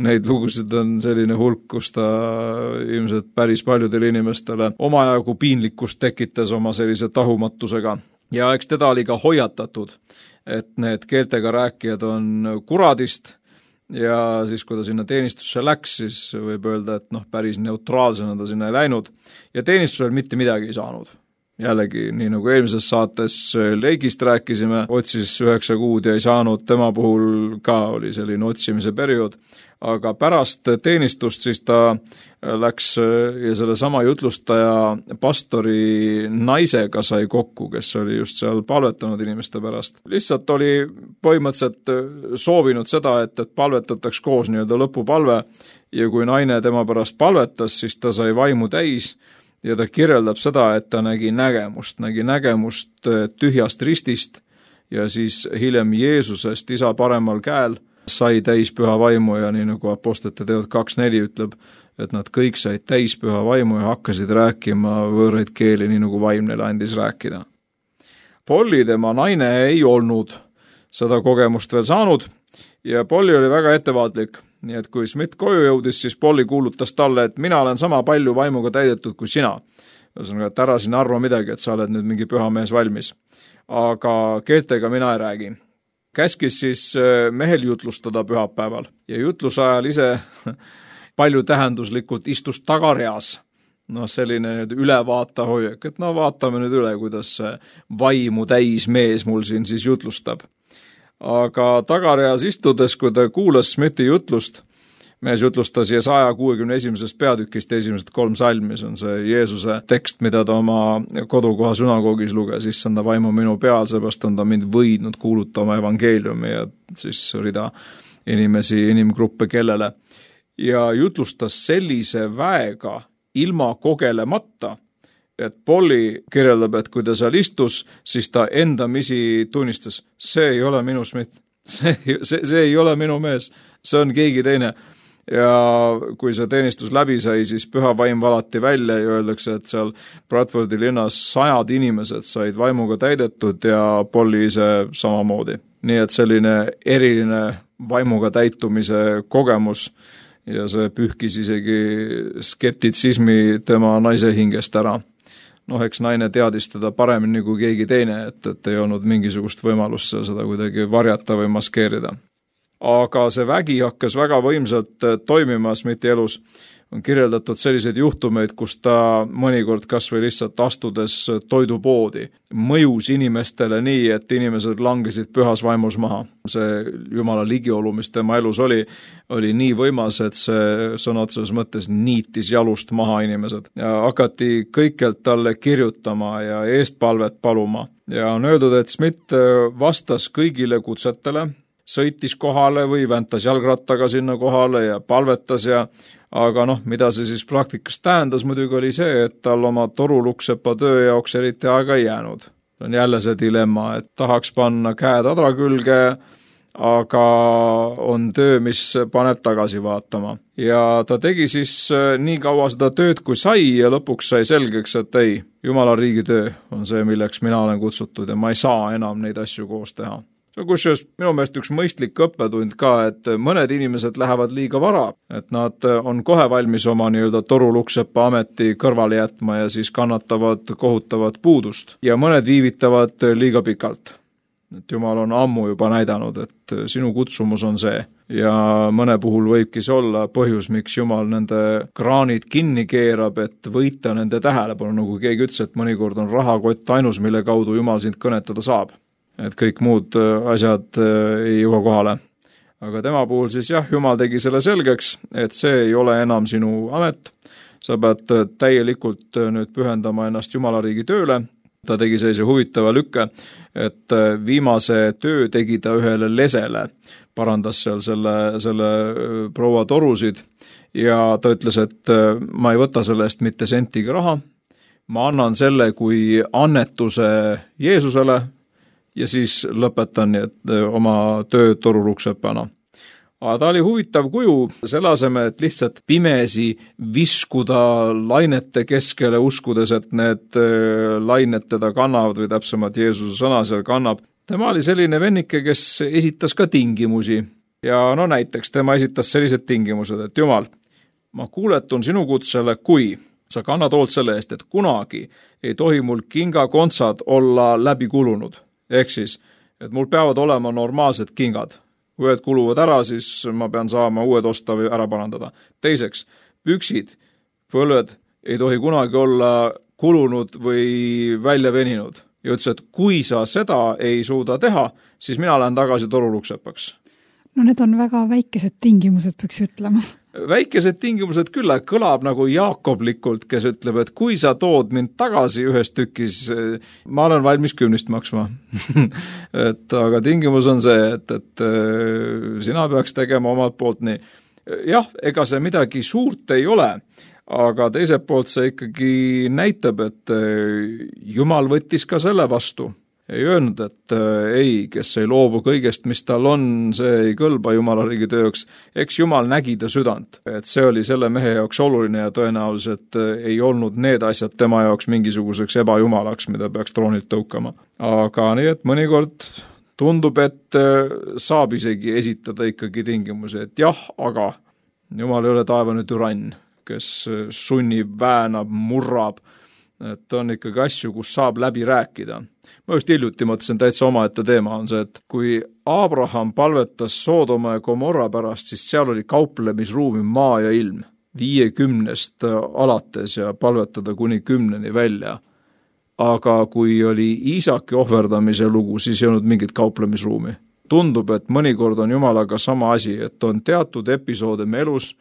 D: Neid lugusid on selline hulk, kus ta ilmselt päris paljudele inimestele omajagu piinlikkust tekitas oma sellise tahumatusega. Ja eks teda oli ka hoiatatud, et need keeltega rääkijad on kuradist ja siis, kui ta sinna teenistusse läks, siis võib öelda, et noh, päris neutraalsena ta sinna ei läinud ja teenistusel mitte midagi ei saanud. Jällegi, nii nagu eelmises saates Leigist rääkisime, otsis üheksa kuud ja ei saanud, tema puhul ka oli selline otsimise periood, aga pärast teenistust siis ta läks ja selle sama jutlustaja pastori naisega sai kokku, kes oli just seal palvetanud inimeste pärast. Lihtsalt oli põhimõtteliselt soovinud seda, et, et palvetataks koos nii-öelda lõpupalve ja kui naine tema pärast palvetas, siis ta sai vaimu täis ja ta kirjeldab seda, et ta nägi nägemust, nägi nägemust tühjast ristist ja siis hiljem Jeesusest isa paremal käel sai täis püha vaimu ja nii nagu Apostlite teod kaks neli ütleb, et nad kõik said täis püha vaimu ja hakkasid rääkima võõraid keeli, nii nagu vaim neile andis rääkida. Polly, tema naine, ei olnud seda kogemust veel saanud ja Polly oli väga ettevaatlik. Nii et kui Smith koju jõudis, siis Polly kuulutas talle, et mina olen sama palju vaimuga täidetud kui sina. Ühesõnaga, et ära sinna arva midagi, et sa oled nüüd mingi püha mees valmis. Aga keeltega mina ei räägi. Käskis siis mehel jutlustada pühapäeval ja jutluse ajal ise palju tähenduslikult istus tagareas. No selline ülevaata hoiak, et no vaatame nüüd üle, kuidas vaimu täis mees mul siin siis jutlustab. Aga tagareas istudes, kui ta kuulas Smithi jutlust, mees jutlustas Jesaja kuuekümne esimesest peatükist esimesed kolm salmi, see on see Jeesuse tekst, mida ta oma kodukoha sünagoogis luges, issanda vaimu minu peal, seepärast on ta mind võidnud kuulutama evangeeliumi ja siis rida inimesi, inimgruppe kellele. Ja jutlustas sellise väega ilma kogelemata, et Polly kirjeldab, et kui ta seal istus, siis ta endamisi tunnistas, see ei ole minu Smith, see, see, see ei ole minu mees, see on keegi teine. Ja kui see teenistus läbi sai, siis püha vaim valati välja ja öeldakse, et seal Bradfordi linnas sajad inimesed said vaimuga täidetud ja Polly ise samamoodi. Nii et selline eriline vaimuga täitumise kogemus ja see pühkis isegi skeptitsismi tema naise hingest ära. Noh, eks naine teadis teda paremini kui keegi teine, et, et ei olnud mingisugust võimalust seda kuidagi varjata või maskeerida. aga see vägi hakkas väga võimsalt toimima Smithi elus. On kirjeldatud selliseid juhtumeid, kus ta mõnikord kas või lihtsalt astudes toidupoodi mõjus inimestele nii, et inimesed langesid pühas vaimus maha. See Jumala ligiolu, mis tema elus oli, oli nii võimas, et see sõna otseses mõttes niitis jalust maha inimesed. Ja hakati kõikjalt talle kirjutama ja eestpalvet paluma. Ja on öeldud, et Smith vastas kõigile kutsetele, sõitis kohale või väntas jalgrattaga sinna kohale ja palvetas ja aga noh, mida see siis praktikas tähendas muidugi oli see, et tal oma toruluksepa töö jaoks eriti aega ei jäänud. See on jälle see dilemma, et tahaks panna käed adra külge, aga on töö, mis paneb tagasi vaatama. Ja ta tegi siis nii kaua seda tööd, kui sai ja lõpuks sai selgeks, et ei, Jumala riigi töö on see, milleks mina olen kutsutud ja ma ei saa enam neid asju koos teha. See on kusjuures minu meelest üks mõistlik õppetund ka, et mõned inimesed lähevad liiga vara, et nad on kohe valmis oma nii-öelda toruluksepa ameti kõrvale jätma ja siis kannatavad kohutavat puudust. Ja mõned viivitavad liiga pikalt. Et Jumal on ammu juba näidanud, et sinu kutsumus on see. Ja mõne puhul võibki see olla põhjus, miks Jumal nende kraanid kinni keerab, et võita nende tähelepanu, nagu keegi ütles, et mõnikord on rahakott ainus, mille kaudu Jumal sind kõnetada saab. Et kõik muud asjad ei jõua kohale. Aga tema puhul siis jah, Jumal tegi selle selgeks, et see ei ole enam sinu amet. Sa pead täielikult nüüd pühendama ennast Jumala riigi tööle. Ta tegi sellise huvitava lükke, et viimase töö tegi ta ühele lesele, parandas seal selle, selle proua torusid ja ta ütles, et ma ei võta selle eest mitte sentiga raha, ma annan selle kui annetuse Jeesusele, ja siis lõpetan et oma töö toruluksepana. Aga ta oli huvitav kuju, selle aseme, et lihtsalt pimesi viskuda lainete keskele, uskudes, et need lained teda kannavad või täpsemalt Jeesuse sõna seal kannab. Tema oli selline vennike, kes esitas ka tingimusi. Ja no näiteks tema esitas sellised tingimused, et Jumal, ma kuuletun sinu kutsele, kui sa kannad hoolt selle eest, et kunagi ei tohi mul kingakontsad olla läbi kulunud. Ehk siis, et mul peavad olema normaalsed kingad. Kui ühed kuluvad ära, siis ma pean saama uued osta või ära parandada. Teiseks, püksid, põlved ei tohi kunagi olla kulunud või välja veninud. Ja ütles, et kui sa seda ei suuda teha, siis mina lähen tagasi toruluksepaks.
C: No need on väga väikesed tingimused, peaks ütlema.
D: Väikesed tingimused küll kõlab nagu Jaakoblikult, kes ütleb, et kui sa tood mind tagasi ühes tükis, ma olen valmis kümnist maksma. et, aga tingimus on see, et, et sina peaks tegema omalt poolt nii. Jah, ega see midagi suurt ei ole, aga teiselt poolt see ikkagi näitab, et Jumal võttis ka selle vastu. Ei öelnud, et ei, kes ei loobu kõigest, mis tal on, see ei kõlba Jumala riigi tööks. Eks Jumal nägi ta südant, et see oli selle mehe jaoks oluline ja tõenäoliselt ei olnud need asjad tema jaoks mingisuguseks ebajumalaks, mida peaks troonilt tõukama. Aga nii, et mõnikord tundub, et saab isegi esitada ikkagi tingimusi, et jah, aga Jumal ei ole taevane türann, kes sunnib, väänab, murrab, et on ikkagi asju, kus saab läbi rääkida. Ma just hiljuti mõtlesin täitsa omaette teema on see, et kui Abraham palvetas Soodoma ja Gomorra pärast, siis seal oli kauplemisruumi maa ja ilm viiekümnest alates ja palvetada kuni kümneni välja. Aga kui oli Iisaki ohverdamise lugu, siis ei olnud mingit kauplemisruumi. Tundub, et mõnikord on Jumalaga sama asi, et on teatud episoode me elus,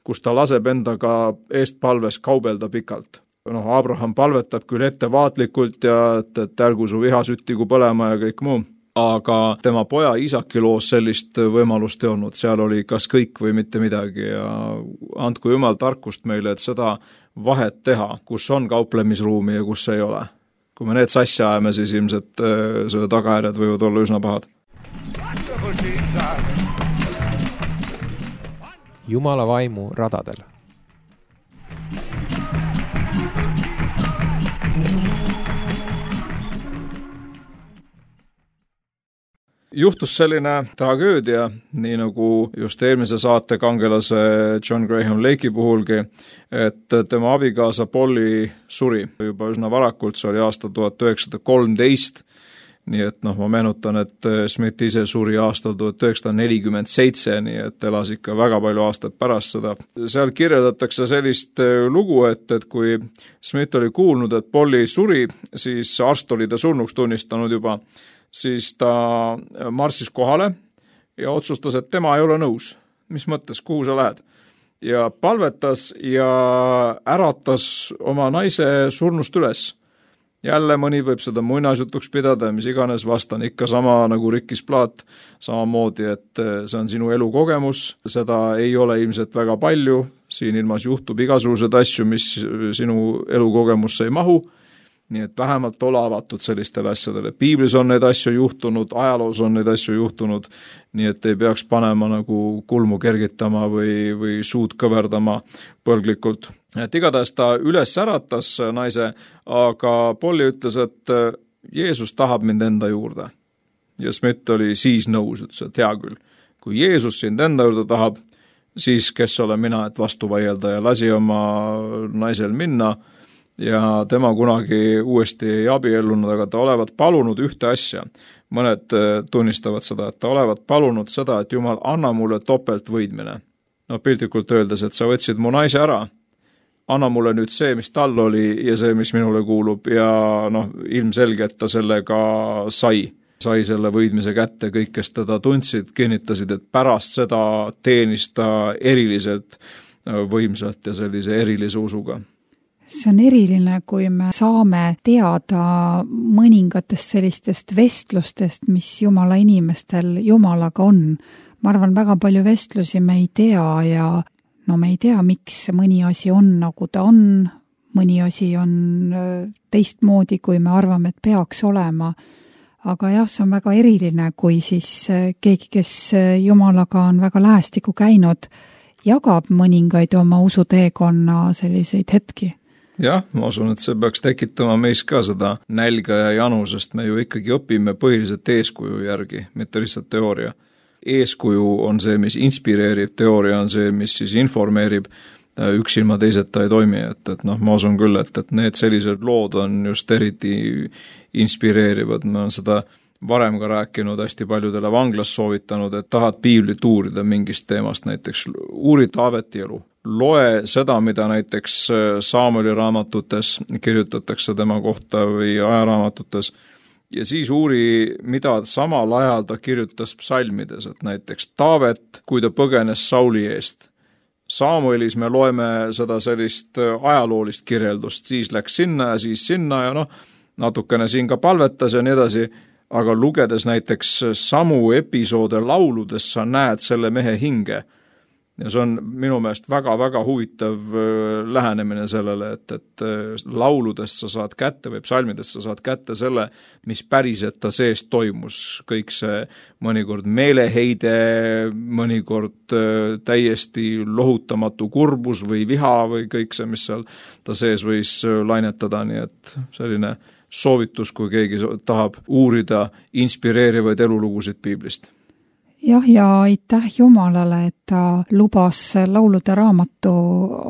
D: kus ta laseb endaga eest palves kaubelda pikalt. Noh, Abraham palvetab küll ettevaatlikult ja et, et ärgu su viha süttigu põlema ja kõik muu, aga tema poja Iisaki loos sellist võimalust ei olnud, seal oli kas kõik või mitte midagi ja andku Jumal tarkust meile, et seda vahet teha, kus on kauplemisruumi ja kus ei ole. Kui me need sassi ajame, siis ilmselt äh, selle tagajärjed võivad olla üsna pahad.
A: Jumala vaimu radadel.
D: Juhtus selline tragöödia, nii nagu just eelmise saate kangelase John Graham Lake'i puhulgi, et tema abikaasa Polly suri juba üsna varakult, see oli aasta tuhat üheksasada kolmteist, nii et noh, ma meenutan, et Smith ise suri aastal tuhat üheksasada nelikümmend seitse, nii et elas ikka väga palju aastaid pärast seda. Seal kirjeldatakse sellist lugu, et, et kui Smith oli kuulnud, et Polly suri, siis arst oli ta surnuks tunnistanud juba, siis ta marssis kohale ja otsustas, et tema ei ole nõus. Mis mõttes, kuhu sa lähed? Ja palvetas ja äratas oma naise surnust üles. Jälle mõni võib seda muinasjutuks pidada, mis iganes, vastan ikka sama nagu Rikkis Plaat, samamoodi, et see on sinu elukogemus, seda ei ole ilmselt väga palju, siin ilmas juhtub igasugused asju, mis sinu elukogemusse ei mahu, nii et vähemalt ole avatud sellistele asjadele. Piiblis on neid asju juhtunud, ajaloos on neid asju juhtunud, nii et ei peaks panema nagu kulmu kergitama või, või suud kõverdama põlglikult. Et igatahes ta üles äratas naise, aga Polly ütles, et Jeesus tahab mind enda juurde. Ja Smith oli siis nõus, ütles, et hea küll. Kui Jeesus sind enda juurde tahab, siis kes olen mina, et vastu vaielda, ja lasi oma naisel minna ja tema kunagi uuesti ei abiellunud, aga ta olevat palunud ühte asja. Mõned tunnistavad seda, et ta olevat palunud seda, et Jumal, anna mulle topelt võidmine. No piltlikult öeldes, et sa võtsid mu naise ära, anna mulle nüüd see, mis tal oli ja see, mis minule kuulub ja noh, ilmselge, et ta sellega sai. Sai selle võidmise kätte, kõik, kes teda tundsid, kinnitasid, et pärast seda teenis ta eriliselt võimsalt ja sellise erilise usuga.
C: See on eriline, kui me saame teada mõningatest sellistest vestlustest, mis Jumala inimestel Jumalaga on. Ma arvan, väga palju vestlusi me ei tea ja no me ei tea, miks mõni asi on, nagu ta on, mõni asi on teistmoodi, kui me arvame, et peaks olema. Aga jah, see on väga eriline, kui siis keegi, kes Jumalaga on väga lähestikku käinud, jagab mõningaid oma usuteekonna selliseid hetki.
D: Jah, ma usun, et see peaks tekitama meis ka seda nälga ja janu, sest me ju ikkagi õpime põhiliselt eeskuju järgi, mitte lihtsalt teooria. Eeskuju on see, mis inspireerib, teooria on see, mis siis informeerib, üks ilma teiseta ei toimi, et, et noh, ma usun küll, et, et need sellised lood on just eriti inspireerivad, ma olen seda varem ka rääkinud, hästi paljudele vanglas soovitanud, et tahad piiblit uurida mingist teemast, näiteks uuri Taaveti elu. Loe seda, mida näiteks Saamuli raamatutes kirjutatakse tema kohta või ajaraamatutes, ja siis uuri, mida samal ajal ta kirjutas psalmides, et näiteks Taavet, kui ta põgenes Sauli eest. Saamuelis me loeme seda sellist ajaloolist kirjeldust, siis läks sinna ja siis sinna ja noh, natukene siin ka palvetas ja nii edasi, aga lugedes näiteks samu episoode lauludes sa näed selle mehe hinge. Ja see on minu meelest väga-väga huvitav lähenemine sellele, et, et lauludest sa saad kätte või psalmidest sa saad kätte selle, mis päriselt ta sees toimus. Kõik see mõnikord meeleheide, mõnikord täiesti lohutamatu kurbus või viha või kõik see, mis seal ta sees võis lainetada, nii et selline soovitus, kui keegi tahab uurida inspireerivaid elulugusid piiblist.
C: Jah, ja aitäh Jumalale, et ta lubas laulude raamatu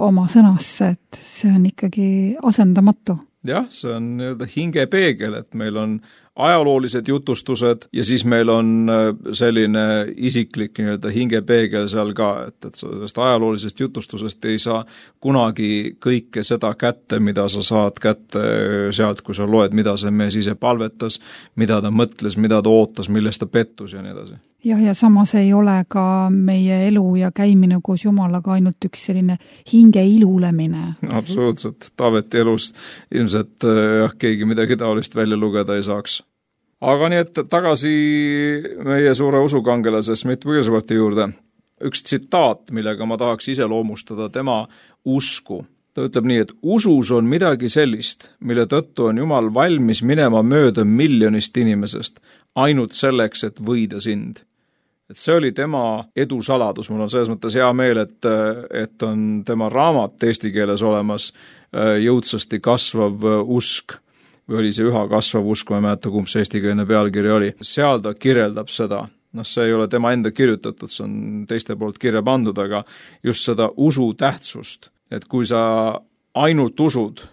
C: oma sõnasse, et see on ikkagi asendamatu.
D: Jah, see on nii-öelda hingepeegel, et meil on ajaloolised jutustused ja siis meil on selline isiklik nii-öelda hingepeegel seal ka, et, et sellest ajaloolisest jutustusest ei saa kunagi kõike seda kätte, mida sa saad kätte sealt, kui sa loed, mida see mees ise palvetas, mida ta mõtles, mida ta ootas, millest ta pettus ja nii edasi.
C: Jah, ja samas ei ole ka meie elu ja käimine koos Jumalaga ainult üks selline hinge ilulemine.
D: Absoluutselt. Taaveti elus ilmselt jah, keegi midagi taolist välja lugeda ei saaks. Aga nii, et tagasi meie suure usukangelase Smith Wigglesworthi juurde. Üks tsitaat, millega ma tahaks ise loomustada tema usku. Ta ütleb nii, et usus on midagi sellist, mille tõttu on Jumal valmis minema mööda miljonist inimesest, ainult selleks, et võida sind. Et see oli tema edusaladus, mul on selles mõttes hea meel, et, et on tema raamat eesti keeles olemas jõudsasti kasvav usk, või oli see üha kasvav usk, ma ei mäleta, kumb see eestikeelne pealkiri oli. Seal ta kirjeldab seda, noh see ei ole tema enda kirjutatud, see on teiste poolt kirja pandud, aga just seda usu tähtsust, et kui sa ainult usud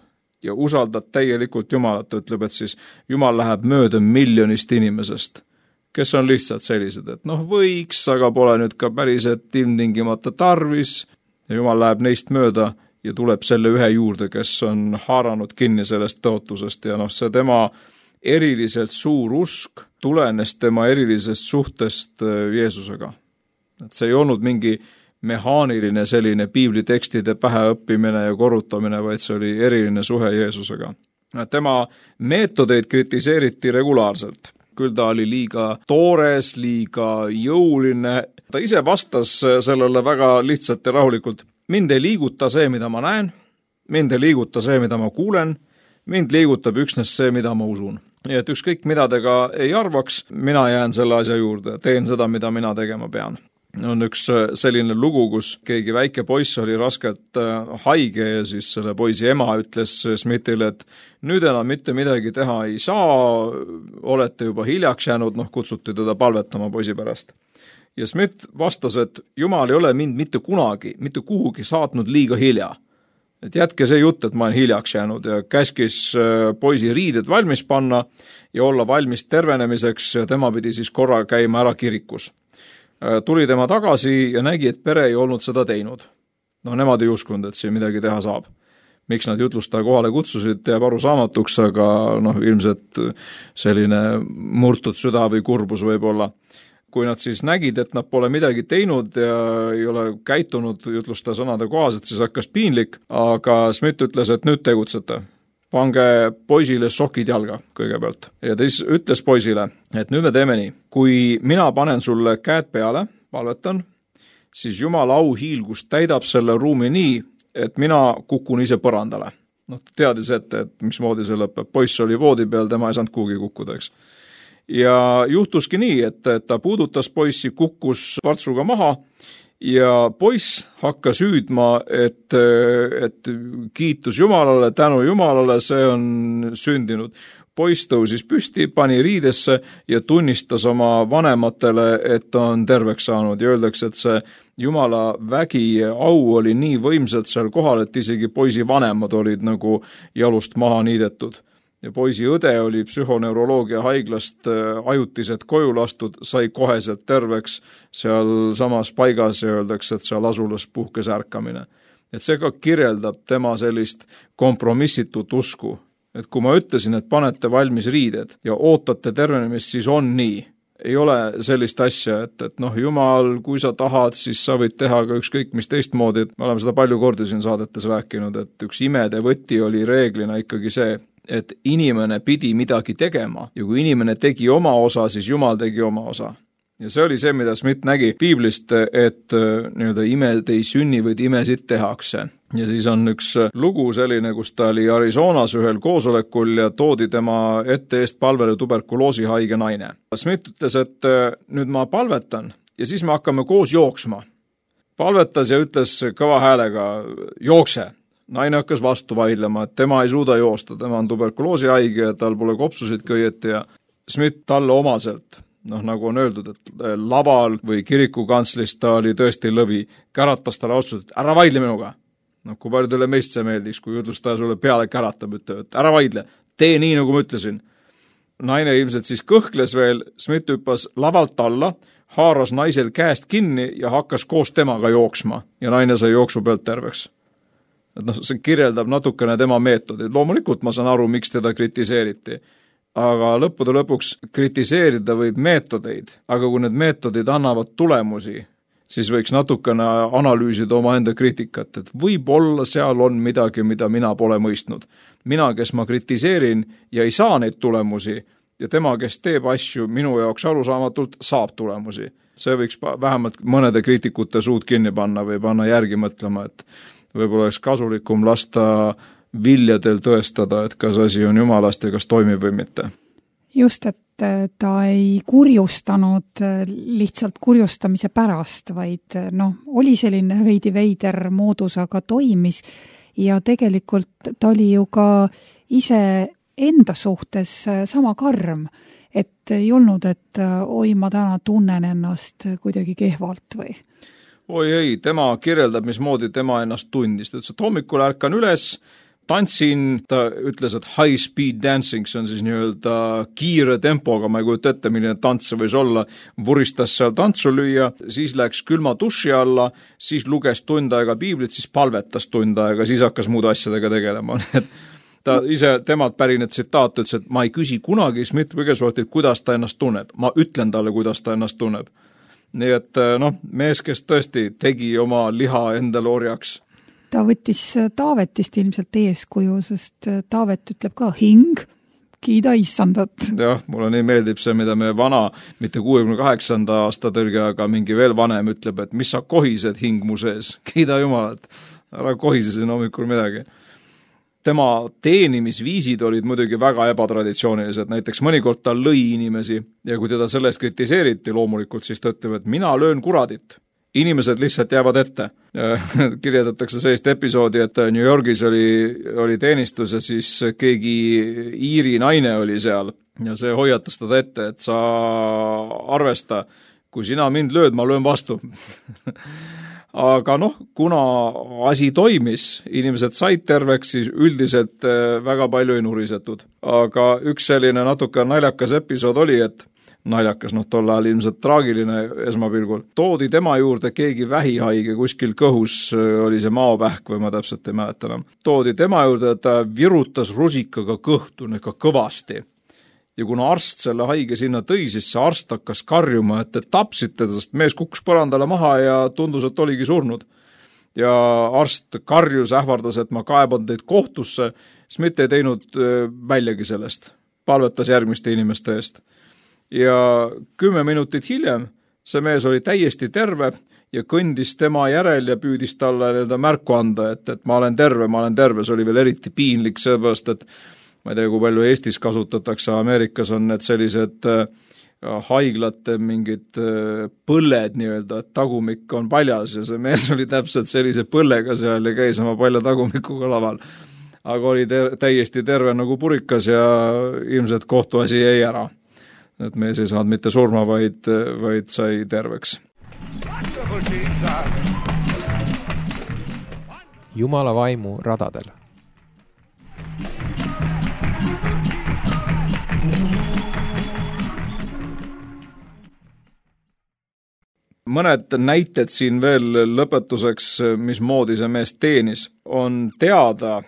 D: ja usaldad täielikult Jumalat, ütleb, et siis Jumal läheb mööda miljonist inimesest, kes on lihtsalt sellised, et noh, võiks, aga pole nüüd ka päriselt ilmtingimata tarvis ja Jumal läheb neist mööda ja tuleb selle ühe juurde, kes on haaranud kinni sellest tõotusest ja noh, see tema eriliselt suur usk tulenes tema erilisest suhtest Jeesusega. Et see ei olnud mingi mehaaniline selline piiblitekstide päheõppimine ja korrutamine, vaid see oli eriline suhe Jeesusega. Tema meetodeid kritiseeriti regulaarselt. Küll ta oli liiga toores, liiga jõuline. Ta ise vastas sellele väga lihtsalt ja rahulikult. Mind ei liiguta see, mida ma näen. Mind ei liiguta see, mida ma kuulen. Mind liigutab üksnes see, mida ma usun. Nii et ükskõik mida te ka ei arvaks, mina jään selle asja juurde. Teen seda, mida mina tegema pean. On üks selline lugu, kus keegi väike poiss oli raskelt haige ja siis selle poisi ema ütles Smithile, et nüüd enam mitte midagi teha ei saa, olete juba hiljaks jäänud, noh kutsuti teda palvetama poisi pärast. Ja Smith vastas, et Jumal ei ole mind mitte kunagi, mitte kuhugi saatnud liiga hilja. Et jätke see jutt, et ma olen hiljaks jäänud ja käskis poisi riided valmis panna ja olla valmis tervenemiseks ja tema pidi siis korra käima ära kirikus. Tuli tema tagasi ja nägi, et pere ei olnud seda teinud. No nemad ei uskunud, et siin midagi teha saab. Miks nad jutlustaja kohale kutsusid, jääb aru saamatuks, aga noh, ilmselt selline murtud süda või kurbus võib olla. Kui nad siis nägid, et nad pole midagi teinud ja ei ole käitunud jutlustaja sõnade kohaselt, siis hakkas piinlik, aga Smith ütles, et nüüd tegutsete. Pange poisile sokid jalga kõigepealt. Ja ta siis ütles poisile, et nüüd me teeme nii. Kui mina panen sulle käed peale, palvetan, siis Jumala auhiilgus täidab selle ruumi nii, et mina kukun ise põrandale. No teadis ette, et mismoodi see lõpeb. Poiss oli voodi peal, tema ei saanud kuhugi kukkuda, eks. Ja juhtuski nii, et ta puudutas poissi, kukkus partsuga maha ja poiss hakkas hüüdma, et, et kiitus Jumalale, tänu Jumalale, see on sündinud. Poiss tõusis püsti, pani riidesse ja tunnistas oma vanematele, et on terveks saanud ja öeldakse, et see Jumala vägi au oli nii võimsalt seal kohal, et isegi poisi vanemad olid nagu jalust maha niidetud. Ja poisi õde oli psühhoneuroloogia haiglast ajutiselt koju lastud, sai koheselt terveks seal samas paigas ja öeldakse, et seal asulas puhkes ärkamine. Et see ka kirjeldab tema sellist kompromissitut usku. Et kui ma ütlesin, et panete valmis riided ja ootate tervenemist, siis on nii. Ei ole sellist asja, et, et noh, Jumal, kui sa tahad, siis sa võid teha ka ükskõik mis teistmoodi. Me oleme seda palju kordi siin saadetes rääkinud, et üks imede võti oli reeglina ikkagi see, et inimene pidi midagi tegema ja kui inimene tegi oma osa, siis Jumal tegi oma osa. Ja see oli see, mida Smith nägi piiblist, et nii-öelda imed ei sünni, vaid imesid tehakse. Ja siis on üks lugu selline, kus ta oli Arizonas ühel koosolekul ja toodi tema ette eest palvele tuberkuloosi haige naine. Smith ütles, et nüüd ma palvetan ja siis me hakkame koos jooksma. Palvetas ja ütles kõva häälega, jookse. Naine hakkas vastu vaidlema, et tema ei suuda joosta, tema on tuberkuloosi haige ja tal pole kopsusid kõieti ja Smith talle omaselt, noh nagu on öeldud, et laval või kirikukanslist ta oli tõesti lõvi, käratas talle otsused, et ära vaidle minuga. Noh, kui palju teile meist see meeldis, kui jutlustaja sulle peale käratab, et ära vaidle, tee nii, nagu ma ütlesin. Naine ilmselt siis kõhkles veel, Smith hüppas lavalt alla, haaras naisel käest kinni ja hakkas koos temaga jooksma ja naine sai jooksu pealt terveks. Et noh, see kirjeldab natukene tema meetodid. Loomulikult ma saan aru, miks teda kritiseeriti. Aga lõppude lõpuks kritiseerida võib meetodeid, aga kui need meetodid annavad tulemusi, siis võiks natukene analüüsida oma enda kriitikat, et võib-olla seal on midagi, mida mina pole mõistnud. Mina, kes ma kritiseerin ja ei saa neid tulemusi ja tema, kes teeb asju minu jaoks arusaamatult, saab tulemusi. See võiks vähemalt mõnede kriitikute suud kinni panna või panna järgi mõtlema, et võib-olla oleks kasulikum lasta viljadel tõestada, et kas asi on jumalast ja kas toimib või mitte.
C: Just, et ta ei kurjustanud lihtsalt kurjustamise pärast, vaid noh, oli selline veidi veider moodus, aga toimis ja tegelikult ta oli ju ka ise enda suhtes sama karm, et ei olnud, et oi, ma täna tunnen ennast kuidagi kehvalt või?
D: Oi ei, tema kirjeldab, mismoodi tema ennast tundis. Ta ütles, et hommikul ärkan üles, tantsin, ta ütles, et high speed dancing, see on siis nii-öelda kiire tempoga, ma ei kujuta ette, milline tants see võis olla, vuristas seal tantsu lüüa, siis läks külma duši alla, siis luges tund aega piiblit, siis palvetas tund aega, siis hakkas muude asjadega tegelema, et ta ise, temalt pärine tsitaat ütles, et ma ei küsi kunagi Smith Wigglesworthilt, kuidas ta ennast tunneb, ma ütlen talle, kuidas ta ennast tunneb. Nii et noh, mees, kes tõesti tegi oma liha endale orjaks.
C: Ta võttis Taavetist ilmselt eeskuju, sest Taavet ütleb ka hing, kiida issandat.
D: Jah, mulle nii meeldib see, mida me vana, mitte kuuekümne kaheksanda aasta tõlge, aga mingi veel vanem ütleb, et mis sa kohised hing mu sees, kiida jumalat, ära kohise siin hommikul midagi. Tema teenimisviisid olid muidugi väga ebatraditsioonilised, näiteks mõnikord ta lõi inimesi ja kui teda sellest kritiseeriti loomulikult, siis ta ütleb, et mina löön kuradit. Inimesed lihtsalt jäävad ette. Kirjeldatakse sellist episoodi, et New Yorgis oli, oli teenistus ja siis keegi Iiri naine oli seal ja see hoiatas teda ette, et sa arvesta, kui sina mind lööd, ma löön vastu. Aga noh, kuna asi toimis, inimesed said terveks, siis üldiselt väga palju ei nurisetud. Aga üks selline natuke naljakas episood oli, et naljakas, noh tol ajal ilmselt traagiline esmapilgul. Toodi tema juurde keegi vähihaige, kuskil kõhus oli see maovähk või ma täpselt ei mäleta enam. Toodi tema juurde, et ta virutas rusikaga kõhtu, ka kõvasti. Ja kuna arst selle haige sinna tõi, siis see arst hakkas karjuma, et te tapsite, sest mees kukkus põrandale maha ja tundus, et oligi surnud. Ja arst karjus, ähvardas, et ma kaeban teid kohtusse, Smith ei teinud väljagi sellest. Palvetas järgmiste inimeste eest. Ja kümme minutit hiljem see mees oli täiesti terve ja kõndis tema järel ja püüdis talle märku anda, et, et ma olen terve, ma olen terve. See oli veel eriti piinlik, sellepärast, et ma ei tea, kui palju Eestis kasutatakse, Ameerikas on need sellised äh, haiglate mingid äh, põlled nii-öelda, et tagumik on paljas ja see mees oli täpselt sellise põllega seal ja käis oma palja tagumikuga laval. Aga oli ter- täiesti terve nagu purikas ja ilmselt kohtuasi jäi ära. Et mees ei saanud mitte surma, vaid, vaid sai terveks.
A: Jumala vaimu radadel.
D: Mõned näited siin veel lõpetuseks, mismoodi see mees teenis, on teada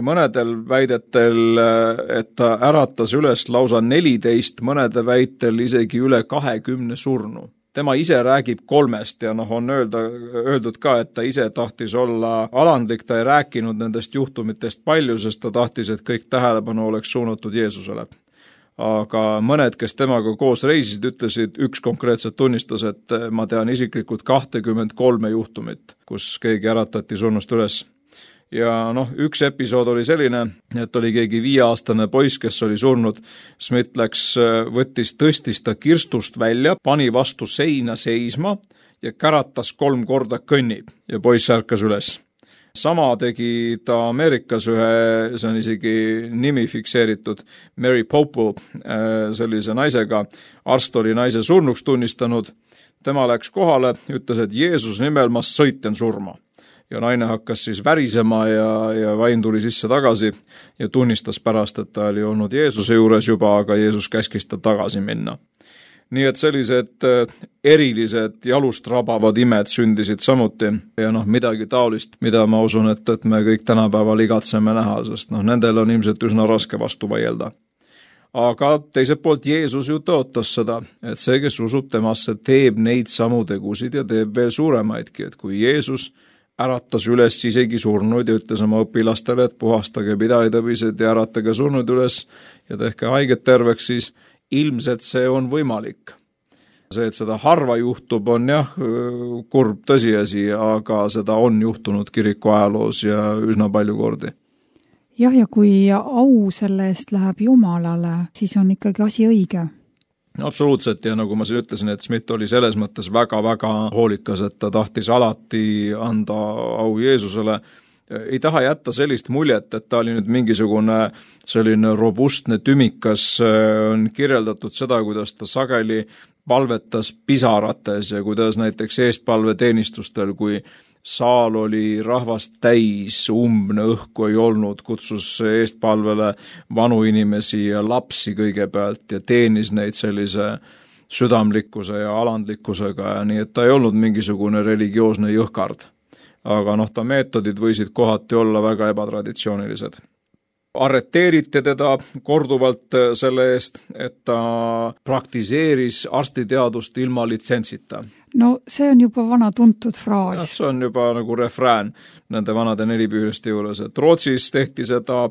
D: mõnedel väidetel, et ta äratas üles lausa neliteist, mõnede väitel isegi üle kahekümne surnu. Tema ise räägib kolmest ja noh, on öelda, öeldud ka, et ta ise tahtis olla alandlik, ta ei rääkinud nendest juhtumitest palju, sest ta tahtis, et kõik tähelepanu oleks suunatud Jeesusele. Aga mõned, kes temaga koos reisisid, ütlesid, üks konkreetselt tunnistas, et ma tean isiklikult kahtekümmend kolme juhtumit, kus keegi äratati surnust üles. Ja noh, üks episood oli selline, et oli keegi viieaastane poiss, kes oli surnud. Smith läks, võttis, tõstis ta kirstust välja, pani vastu seina seisma ja käratas kolm korda kõnni ja poiss ärkas üles. Sama tegi ta Ameerikas ühe, see on isegi nimi fikseeritud, Mary Popel, sellise naisega. Arst oli naise surnuks tunnistanud. Tema läks kohale, ütles, et Jeesus nimel ma sõiten surma. Ja naine hakkas siis värisema ja, ja vaim tuli sisse tagasi ja tunnistas pärast, et ta oli olnud Jeesuse juures juba, aga Jeesus käskis ta tagasi minna. Nii et sellised erilised jalust rabavad imed sündisid samuti ja noh, midagi taolist, mida ma usun, et, et me kõik tänapäeval igatseme näha, sest noh, nendel on ilmselt üsna raske vastu vaielda. Aga teiselt poolt Jeesus ju tõotas seda, et see, kes usub temasse, teeb neid samu tegusid ja teeb veel suuremaidki, et kui Jeesus äratas üles isegi surnuid ja ütles oma õpilastele, et puhastage pidajatõbised ja äratage surnuid üles ja tehke haiget terveks, siis ilmselt see on võimalik. See, et seda harva juhtub, on jah kurb tõsiasi, aga seda on juhtunud kiriku ajaloos ja üsna palju kordi.
C: Jah, ja kui au selle eest läheb Jumalale, siis on ikkagi asi õige.
D: Absoluutselt ja nagu ma siin ütlesin, et Smith oli selles mõttes väga-väga hoolikas, et ta tahtis alati anda au Jeesusele. Ei taha jätta sellist muljet, et ta oli nüüd mingisugune selline robustne tümikas, on kirjeldatud seda, kuidas ta sageli palvetas pisarates ja kuidas näiteks eestpalveteenistustel, kui saal oli rahvast täis, umbne õhku ei olnud, kutsus eestpalvele vanu inimesi ja lapsi kõigepealt ja teenis neid sellise südamlikkuse ja alandlikkusega ja nii, et ta ei olnud mingisugune religioosne jõhkard. Aga noh, ta meetodid võisid kohati olla väga ebatraditsioonilised. Arreteeriti teda korduvalt selle eest, et ta praktiseeris arstiteadust ilma litsentsita.
C: No see on juba vana tuntud fraas.
D: Ja, see on juba nagu refrään nende vanade nelipüüriste juures, et Rootsis tehti seda,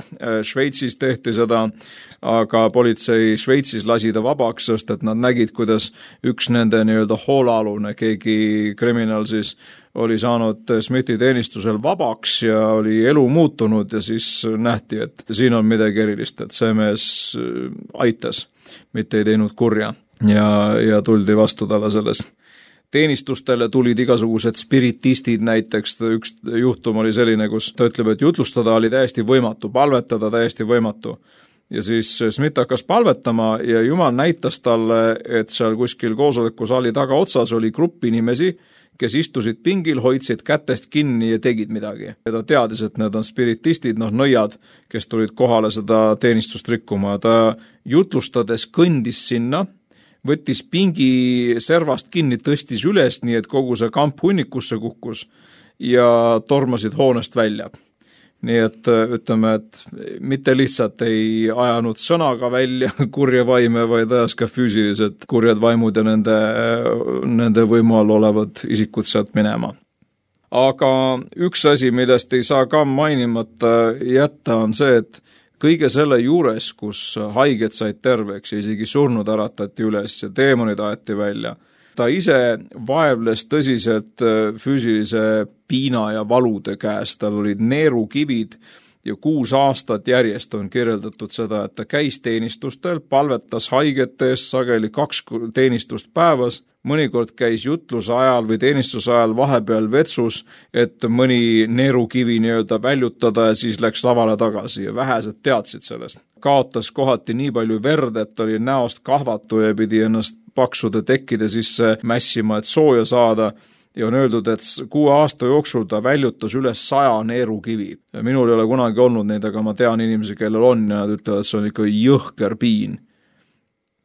D: Šveitsis tehti seda, aga politsei Šveitsis lasi ta vabaks, sest et nad nägid, kuidas üks nende nii-öelda hoolalune, keegi kriminal siis oli saanud Smithi teenistusel vabaks ja oli elu muutunud ja siis nähti, et siin on midagi erilist, et see mees aitas, mitte ei teinud kurja ja, ja tuldi vastu talle sellest. Teenistustele tulid igasugused spiritistid näiteks, üks juhtum oli selline, kus ta ütleb, et jutlustada oli täiesti võimatu, palvetada täiesti võimatu. Ja siis Smith hakkas palvetama ja Jumal näitas talle, et seal kuskil koosolekusaali taga otsas oli grupp inimesi, kes istusid pingil, hoidsid kätest kinni ja tegid midagi. Ja ta teadis, et need on spiritistid, noh nõiad, kes tulid kohale seda teenistust rikkuma. Ta jutlustades kõndis sinna, võttis pingi servast kinni, tõstis üles, nii et kogu see kamp hunnikusse kukkus ja tormasid hoonest välja. Nii et ütleme, et mitte lihtsalt ei ajanud sõnaga välja kurja vaime, vaid ajas ka füüsilised kurjad vaimud ja nende, nende võimu all olevad isikud sealt minema. Aga üks asi, millest ei saa ka mainimata jätta, on see, et kõige selle juures, kus haiged said terveks ja isegi surnud äratati üles ja teemonid aeti välja, ta ise vaevles tõsiselt füüsilise piina ja valude käes, tal olid neerukivid ja kuus aastat järjest on kirjeldatud seda, et ta käis teenistustel, palvetas haigete eest sageli kaks teenistust päevas, mõnikord käis jutluse ajal või teenistuse ajal vahepeal vetsus, et mõni neerukivi nii-öelda väljutada ja siis läks lavale tagasi ja vähesed teadsid sellest. Kaotas kohati nii palju verd, et oli näost kahvatu ja pidi ennast paksude tekkide sisse mässima, et sooja saada. Ja on öeldud, et kuue aasta jooksul ta väljutas üles saja neerukivi. Ja minul ei ole kunagi olnud neid, aga ma tean inimesi, kellel on ja nad ütlevad, et see on ikka jõhker piin.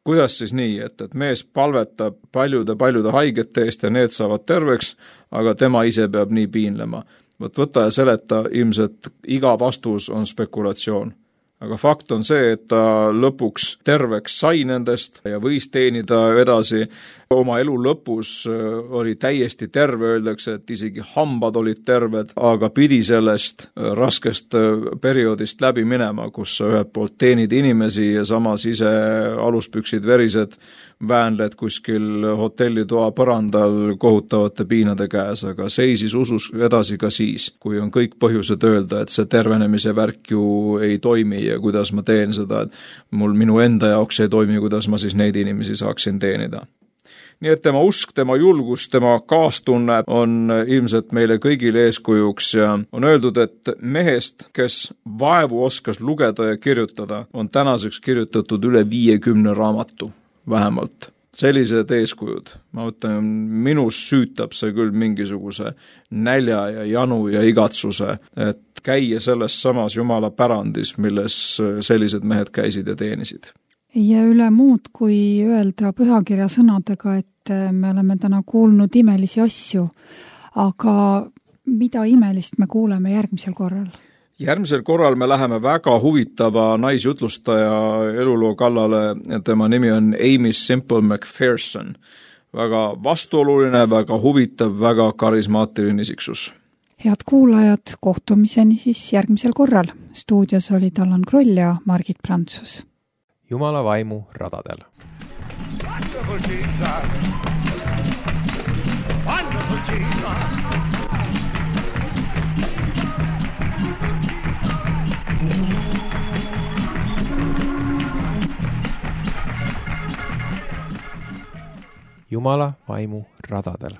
D: Kuidas siis nii, et, et mees palvetab paljude-paljude haigete eest ja need saavad terveks, aga tema ise peab nii piinlema. Võt võta ja seleta, ilmselt iga vastus on spekulatsioon. Aga fakt on see, et ta lõpuks terveks sai nendest ja võis teenida edasi. Oma elu lõpus oli täiesti terve, öeldakse, et isegi hambad olid terved, aga pidi sellest raskest perioodist läbi minema, kus sa ühelt poolt teenid inimesi ja samas ise aluspüksid verised väänled kuskil hotellitoa põrandal kohutavate piinade käes, aga seisis usus edasi ka siis, kui on kõik põhjused öelda, et see tervenemise värk ju ei toimi ja kuidas ma teen seda, et mul minu enda jaoks ei toimi, kuidas ma siis neid inimesi saaksin teenida. Nii et tema usk, tema julgus, tema kaastunne on ilmselt meile kõigile eeskujuks ja on öeldud, et mehest, kes vaevu oskas lugeda ja kirjutada, on tänaseks kirjutatud üle viiekümne raamatu vähemalt. Sellised eeskujud, ma mõtlen, minus süütab see küll mingisuguse nälja ja janu ja igatsuse, et käia selles samas Jumala pärandis, milles sellised mehed käisid ja teenisid.
C: Ja üle muud, kui öelda pühakirja sõnadega, et me oleme täna kuulnud imelisi asju, aga mida imelist me kuuleme järgmisel korral?
D: Järgmisel korral me läheme väga huvitava naisjutlustaja eluloo kallale, tema nimi on Amy Simple McPherson. Väga vastuoluline, väga huvitav, väga karismaatiline isiksus.
C: Head kuulajad, kohtumiseni siis järgmisel korral. Stuudios olid Allan Kroll ja Margit Prantsus.
A: Jumala vaimu radadel.
B: Wonderful Jesus. Wonderful Jesus.
A: Jumala vaimu radadel.